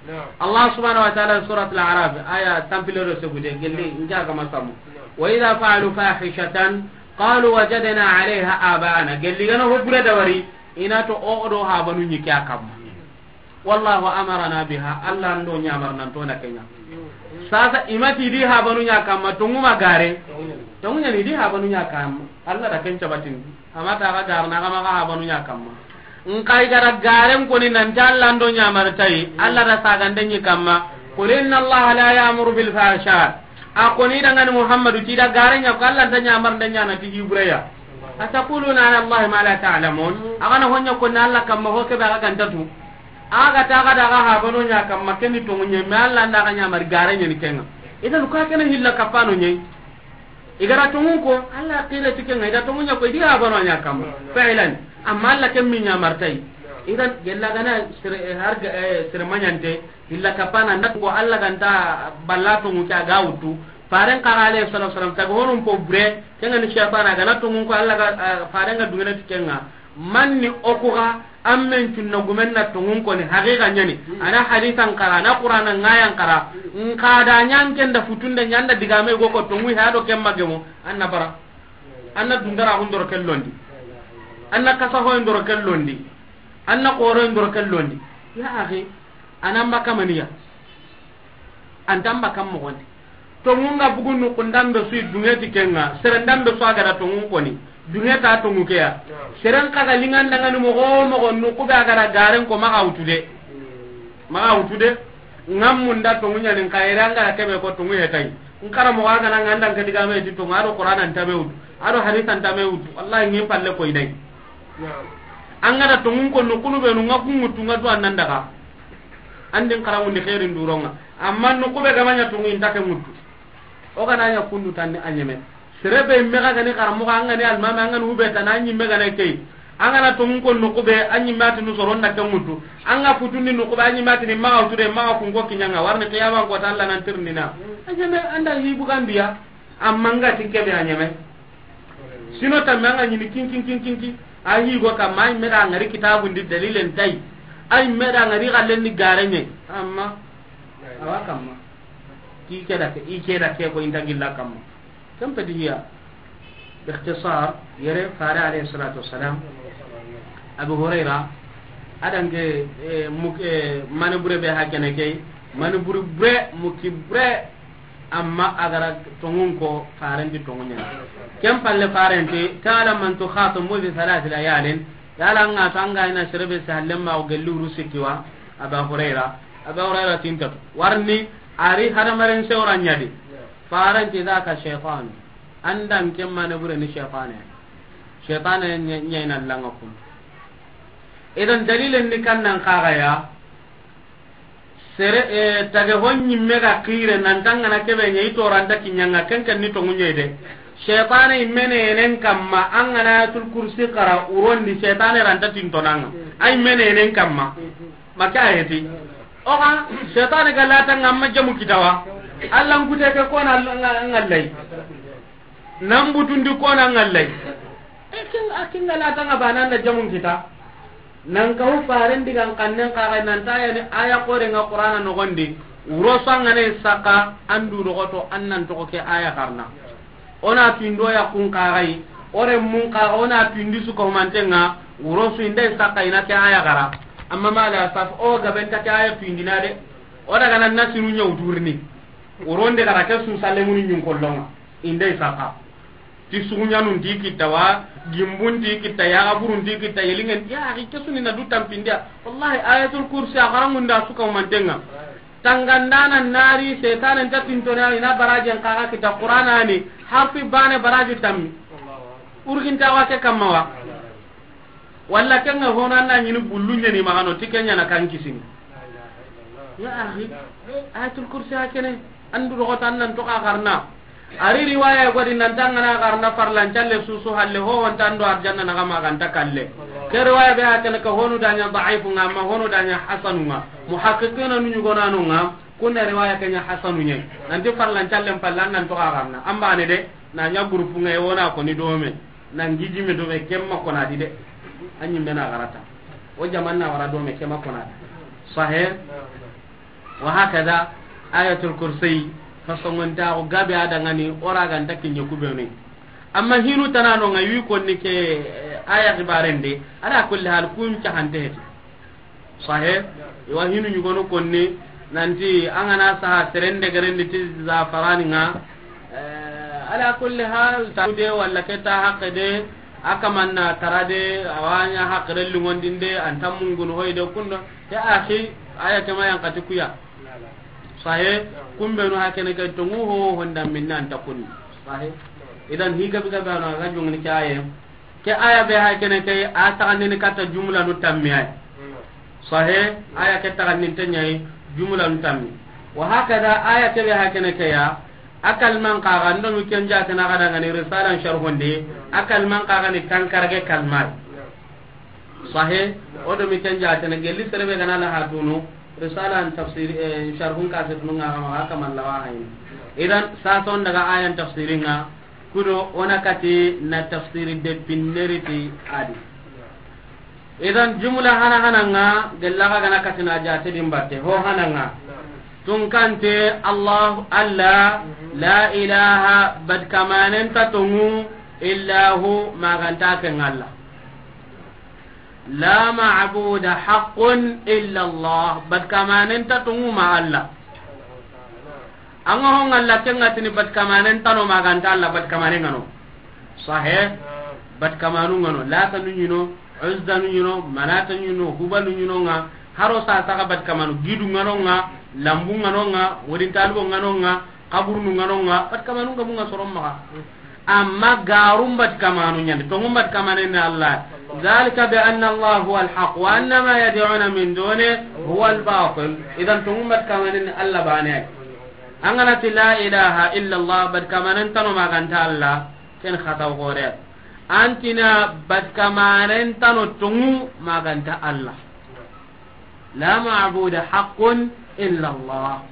Naam. Allah subhanahu wa ta'ala, Surat Al-A'raf, aya tampile do segude, gelli, naam, nja ga masamu. Naam. Wa idha fa'alu fahishatan qalu wajadna 'alayha aba'ana. Gelli gana ho bure da wari, i na to o do habanu ɲi ke a kamma. Wallahu amarana biha, Alla ndo ɲamar nan to na ke ɲa. Sasa i ma ti di habanu ɲa kamma, tonŋu ma gare. Tonŋu ɲa ni di habanu ɲa kamma. Alla da ken cabatin. Amma ta ga garna ga ma ga habanu ɲa kamma. Nxa i ga da garen koni nanti Alla ndo ɲamar tayi, Alla da sagande ɲi kamma. Qul inna Allaha la ya'muru bil fahsha. A koni da ŋa ni Muhammadu ti da gare ɲa ko Alla nta ɲamar nda ɲa na ti hi bure ya. Ataquluna ala Allahi ma la ta'lamun. A ga na ho ɲa ko na Alla kamma ho ke be a ga nta tu. A ga ta ga da ga habanu ɲa kamma ken ni tonŋu ɲa, me Alla nda ga ɲamar gare ɲa ni ke ŋa. Idan ka ken hilla kappano ɲa yi. I ga da tonŋun ko, Alla qila ti ke ŋa, i da tonŋun ɲa ko, i di habanu ɲa kamma. Fi'lan. Amma Alla ken mi ɲamar tayi. Idan gella gana sere, eh, har ga, eh, sere maɲante, hilla kappana nda ko Alla ga nta balla tonŋu ke a ga wutu. Faren xa ga alayhi salatu wasalam, tage honun po bure, ke ŋa ni seytaane, a ga na tonŋun ko Alla ga, eh, faren ga duŋene ti ke ŋa. Manni o ku ga, an men cunna gumen na tonŋun koni, haqiqa ɲa ni. Hmm. A na hadisan xara, a na Qur'ana ŋayan xara. Hmm. Nxa da ɲa n ken da futunde ɲa n da digame go ko tonŋu ha do ken ma gemu, an na bara. An na dundara hun doro ken londi. An na kasa hoyin doro ken londi. An na xoroyin doro ken londi. Ya akhi, a na mba kamaniya. An ta mba kam moxondi. Tonŋun ga bugu nuxundan be su i duŋe ti ke ŋa, serendan be su a ga da tonŋun koni, duŋe ta tonŋu ke ya. Seren xa ga liŋanda ŋa ni moxo moxo nuxu be a ga da garen ko maxa wutu de. Maxa wutu de. Ŋa munda tonŋu ɲa ni nxa yere an ga da ke be ko tonŋu he tayi. N xara moxo a ga na ŋa nda n ke digame ti tonŋu, a do Qur'ana nta me wutu, a do hadisa nta me wutu. Wallahi ŋi palle koy day. An ga da tonŋun ko nuxunu be nu ŋa ku ŋutu ŋa du an nan daga. An di n xara ŋundi xeerin duronŋa. Amma nuxu be ga ma ɲa tonŋu i nta ke ŋutu. O ga na ɲa kundu tanni a ɲeme. Sere be me ga ga ni xara moxo, an ga ni almame, an ga ni hube tan, an ɲimme ga na key. An ga na tonŋun ko nuxu be, an ɲimme a ti nu soron da ke ŋutu. An ga futundi nuxu be, an ɲimme a ti ni maxa wutu de, maxa kun ko kiɲa ŋa. Warni qiyaman ko ta Alla nan tirindina. A ɲeme an da hi bugandiya. Amma n ga ti ke be a ɲeme. Sino tamme an ga ɲini kin, kin, kin, kin, kin. A hi go kamma, a ɲimme da ŋari kitabun di dalilen tayi. A ɲimme da ŋari xallen ni gareɲe. Amma, awa kamma. Ti ke da ke, i ke da ke ko i nta gilla kamma. Ken peti hiya. Bi ikhtisar, yere fare alayhi salatu wassalam. Abu Hurayra, a da nke, eh, muk-, eh, mani bure be hakene key, mani bure bure, muki bure, amma a ga ra tonŋun ko, faren ti tonŋu ɲa ni. Ken palle faren ti, ta'lamu man tukhatibu bi thalathi layalin, yala ŋa to an ga ina sere be se halle ma o gelli wuru sikki wa, Aba Hurayra, Aba Hurayra ti nta tu. Warni, a ri hadamaren sewra ɲa di. Faren ti dhaka shaytan. An da nke mani bure ni shaytane. Shaytane ɲa-, ɲa ina langa kun. Idan dalilen ni kan nan xa ga ya. Sere, eh, tage ho ɲimme ga xire nan ta an ga na ke be ɲa i to ra nta kiɲa ŋa ken ken ni tonŋu ɲa yi de. Shaytane i mene nen kamma an ga na Ayatul Kursi xara wuron di shaytane ra nta tinto na ŋa. Ay mene nen kamma. Maka ayeti. O ga, shaytane ga lata ŋa amma jamu kita wa. Alla n kute ke ko na ŋa-, ŋallay. Nan butundi ko na ŋallay. E kin, a kin ga lata ŋa bana na jamu kita. Nan ka hu faren digan kannen xa ga nan ta ya ni aya xore ŋa Qur'ana noxon di. Wuro su an ga ne saka an du doxoto an nan toxo ke aya xarana. O na tuyindo ya kun xa ga yi, o renmun xa ga, o na tuyindi su ka humanten ŋa, wuro su i nda i saka i na ke aya xara. Amma ma la saf, o gabe nta ke aya tuyindina de. O daga nan na sinu ɲa wutu rini. Wuro nde xara ke su salle muni ɲun kollon ŋa. I nda i saka. Ti suguɲanun ti kitta wa, gimbun ti kitta, yaxaburun ti kitta, yelingen, ya axi ke su ni na du tampindiya. Wallahi, Ayatul Kursi a xarangunda su ka humanten ŋa. Tangandana nari, setanen ta tintona, ina barajen kaga kita Qur'ana ni, harfi bane baraju tammi. Urginta wa ke kamma wa. Walla kenga hono anda ñini bullu ñeni magano, ti kenya na kan kisini. Ya akhi, Ayatul Kursi hakene, andu rogotan nan to ka garna. Ari riwaya godi nan tangana garna farlan calle susu halle ho wonta ando arjanna na gama ganta kalle. Ke riwaya be hakene ka honu danya daifu nga, amma honu danya hasanu nga. Muhaqqiqina nu ñugonano nga, kunna riwaya kenya hasanu ñe. Nanti farlan calle pallan nan to ka garna. Amba ne de, na nya groupe nga e wona ko ni dome. Nan gijime dome kemma kona di de. Anyi mena garata. O jamanna wara dome kemma kona di. Sahih. Wa hakada Ayatul Kursi, fasongonta ko gabe adangani, ora ganta kinye kubenu. Amma hinu tanano nga wi konni ke, eh, aya xibarende, ala kulli hal kun cahante heti. Sahih, iwa hinu ñugonu konni, nanti angana saha serende gerendi ti zafarani nga, eh, ala kulli hal, ta de walla ke ta haqqe de, akamanna tara de, awanya haqqe de lungondinde, anta mungunu hoyde kundo, Ya akhi, aya kema yan kati kuya. Sahe, kumbenu hakene ke tongu ho honda minna anta kunni. Sahe. Idan higa biga bana ga jungni ke aya. Ke aya be hakene ke a taganni kata jumla nu tammi ay. Sahe, aya ke taganni tanyai jumla nu tammi. Wa hakada aya ke be hakene ke ya. Akal man kaga ndo mi kenja kana ga dangani risalan sharhundi. Akal man kaga ni tankarage kalmai. Sahe, o do mi ken jatene gelli serebe gana la hatunu, risala an tafsir, eh, sharhun kasir nunga kama haka man lawa hayin. Idan, sason daga ayan tafsirin nga, kudo ona kati na tafsiri de pinneriti adi. Idan, jumla hana hana nga, gella ga gana kati na jate dimbatte, ho hana nga. Tunkante, Allah, Allah, la ilaha, bad kamanen ta tongu, illa hu, maganta ke ngalla. La ma'buda haqqun illa Allah. Bat kamanen ta tungu ma Allah. Anga hon Allah kenga tini bat kamanen tano maganta Allah bat kamanen ngano. Sahe. Bat kamanu ngano. Lata nu ñino, Uzza nu ñino, Manata ñino, Hubalu ñino nga. Haro sa saka bat kamanu gidu ngano nga, lambu ngano nga, wodin talibo ngano nga, kaburunu ngano nga, bat kamanu nga bunga soron maga. Amma garum bat kamanu ñande, tongum bat kamane ni Allah. Zalika bi anna Allah huwa al-haq wa anna ma yad'una min duni huwa al-batil. Idan tongum bat kamane ni Allah bane. Angana ti la ilaha illa Allah, bat kamanen tano maganta Allah, ken khataw gore. Antina bat kamanen tano tongu maganta Allah. La ma'buda haqqun illa Allah.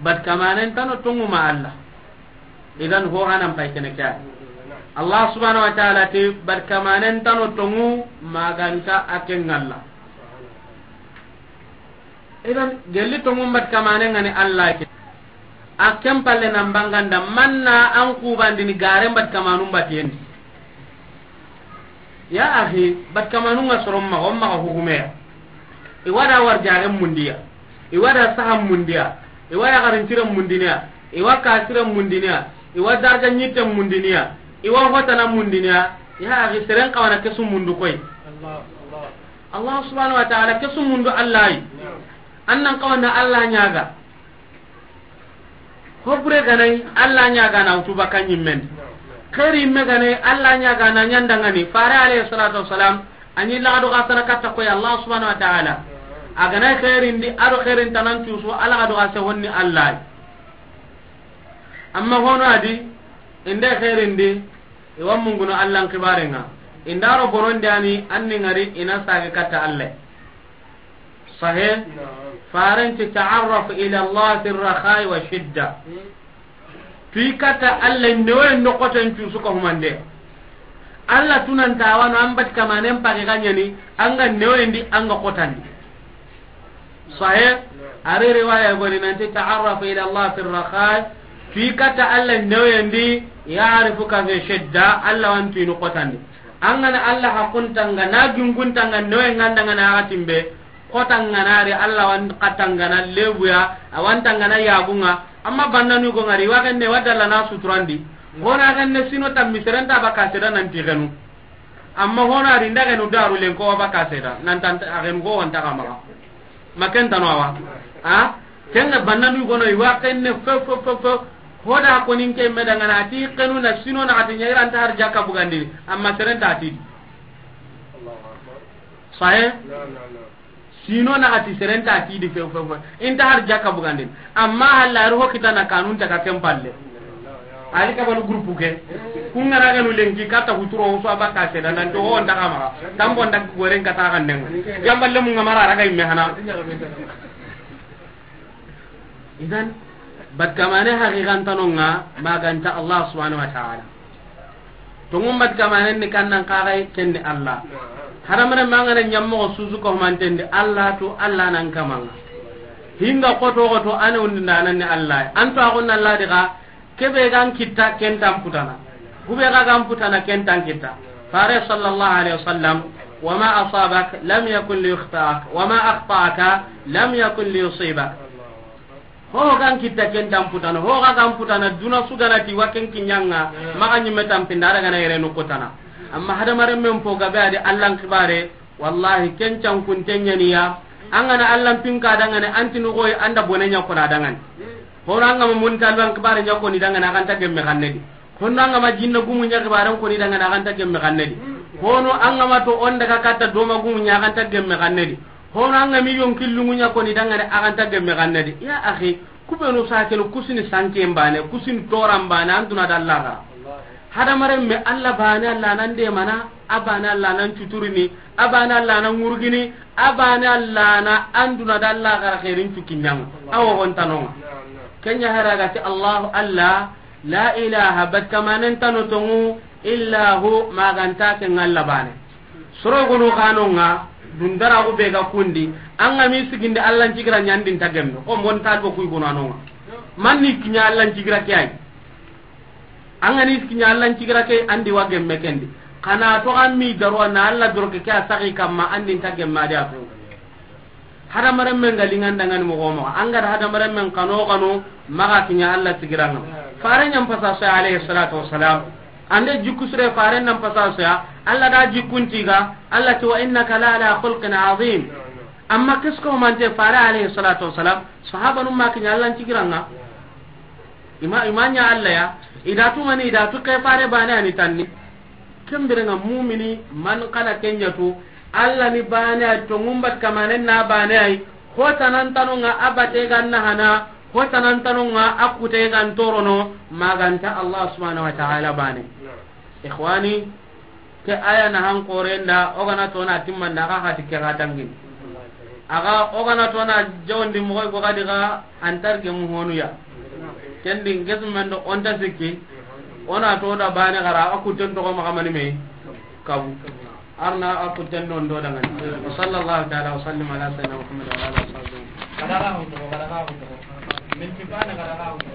Bat kamanen tano tongu ma Allah. Idan ho hanan pay kene kya. Allah subhanahu wa ta'ala ti bat kamanen tano tongu maganta aken Allah. Idan gelli tongu bat kamanen ngani Allah ke. A ken palle nan banganda manna an kubandini garen bat kamanun batiyendi. Ya akhi, bat kamanun ga soron maga, on maga hukumeya. I wada war jaren mundiya. I wada sahan mundiya. I wada garin tiren mundiniya. I wa kasiren mundiniya. I wa darja nyitten mundiniya. I wa hotana mundiniya. Ya akhi, seren kawana kesu mundu koy. Allah subhanahu wa ta'ala kesu mundu Allah yi. Annan kawana Allah nyaga. Hobure ganai Allah ñagana wutu baka ñimmen. Xeeri yimme ganai Allah ñagana ñandangani. Fare alayhi salatu wassalam, a ñi laxadu xa sana katta koy Allah subhanahu wa ta'ala. A ganai xeerindi, a do xeerin tanan cusu, a laxadu xa se honni Allah. Amma hono adi, inde xeerindi, i wa munguno Allah n xibarenga. Indaro bonondi ani, anni ngari, ina sage katta Allah. Sahe. Naam. Farenti ta'arraf ila Allah fi rakhai wa shidda. Hmm. Tuyi katta Allah newe nokoten cu suka humande. Allah tunanta wano an bat kamanen pagi ganyani, anga newe ndi, anga kotandi. Sahe. Naam. Ari riwaya goni nanti ta'arraf ila Allah fi rakhai. Tuyi katta Allah newe ndi, ya'rifuka fi shidda, Allah wantu inu kotandi. Angana Allah hakuntanga, na ginguntanga, newe ngandanga na agatimbe. Kotangana ri Allah wan katangana lebuya, awantangana yagunga. Amma bannanu go ngari, wa genne wa dalla na suturandi. Hona genne sino tammi serenta baka seda nanti genu. Amma hona ri nda genu daru lenko wa baka seda, nan tan a genu go wanta kamala. Maken tano awa. Ha? Ken ga bannanu gono, i wa kenne fe, fe, fe, fe. Hoda ko nin ke me dangana, a ti kenu na sino na ati ɲaira nta har jakka bugandini, amma seren ta ti di. Sahe? Sino na ati seren ta ti di fe, fe, fe. Inta har jakka bugandini. Amma halla ro ho kitana kanun ta ka ken palle. Ali ka balu groupe ke. Kun ga ra ga nu lenki kata huturo so abaka seda nan to on daga ma. Tambo nda goren kata kan den. Jamballe mun ga mara raga imme hana. Idan, bat kamane haqiqan tanonga maganta Allah subhanahu wa ta'ala. Tongun bat kamanen ni kannan kagai kenni Allah. Hadamaren mangana ɲammogo susu ko mantendi Allah to Allah nan kamanga. Hinga koto koto ane undi ndananni Allah. Anto agon Allah diga kebe gan kitta kentan putana. Kube ga gan putana kentan kitta. Fare sallallahu alaihi wasallam, "Wa ma asabak lam yakun li yukhtaak, wa ma akhta'aka lam yakun li yusibak." Ho gan kitta kentan putana, ho ga gan putana, duna suganati wa ken kiɲanga, maga ɲimme tampinda, daga na yere nukutana. Amma hadamaren men po gabe adi Allan kibare, wallahi ken can kun tenyaniya. An gana Allan pinka dangane, anti nugoy anda bone ɲa kona dangane. Hono an gama mun talban kibare ɲa koni dangane, aganta gemme kannedi. Hono an gama jinna gumu ɲa kibaren koni dangane, aganta gemme kannedi. Hono an gama to on daga katta doma gumu ɲa, aganta gemme kannedi. Hono an gami yonki lungu ɲa koni dangane, aganta gemme kannedi. Ya akhi, kubenu sakenu kusini sanke mbane, kusini toran bane, anduna dalla ga. Hadamaren me Allah bane, Allah nan de mana, a bane Allah nan cuturini, a bane Allah nan ngurgini, a bane Allah na anduna dalla ga khairin cukinyang. Awo gontanonga. Kenya haraga ti Allahu Allah, la ilaha, bat kamanen tano tongu, illa hu, maganta ke ngalla bane. Soro gono kanonga, dundara go be ga kundi, an gami sigindi Allan cigira ɲandi nta gemme, ko mon talbo kuy gono anonga. Manni kiɲa Allan cigira ke ay. An gani kiɲa Allan cigira ke andi wa gemme kendi. Kana to an mi darwa na Allah doroke ke a sagi kamma andi nta gemme adi a to. Hadamaren men ga lingandangani mogo mogo. An ga da hadamaren men kano kano maga kiɲa Allah sigiranga. Fare ɲan pasa so alayhi salatu wassalam. Ande jikku sire fare nan pasa so ya. Allah da jikkuntiga. Allah ti wa innaka la ala khulqin azim. Amma kisko mante fare alayhi salatu wassalam. Sahabanun ma kiɲa Allan cigiranga. Ima, ima ɲa Allah ya. Ida tu mani, ida tu ke fare bane ani tanni. Kembirenga mumini man kana kenya tu. Allah ni bane ay, to ngumbat kamanen na bane ay. Hotanan tanonga abate ganna hana. Hotanan tanonga akute gan torono. Maganta Allah subhanahu wa ta'ala bane. Ikhwani, ke aya na han korenda, o gana tona timmanda, aga hati ke ga dangini. Aga o gana tona jawndi mogoy go gadi ga antar ge mu honuya. Kendi ngesmendo onta sikki, ona to da bane gara, a kutten to ko makamani me kabu. Arna a kutten don do dangani. Wa sallallahu ta'ala wa sallim ala sayyidina Muhammad wa ala alihi wa sahbihi. Kada ga hoto, kada ga hoto. Min tibana kada ga hoto.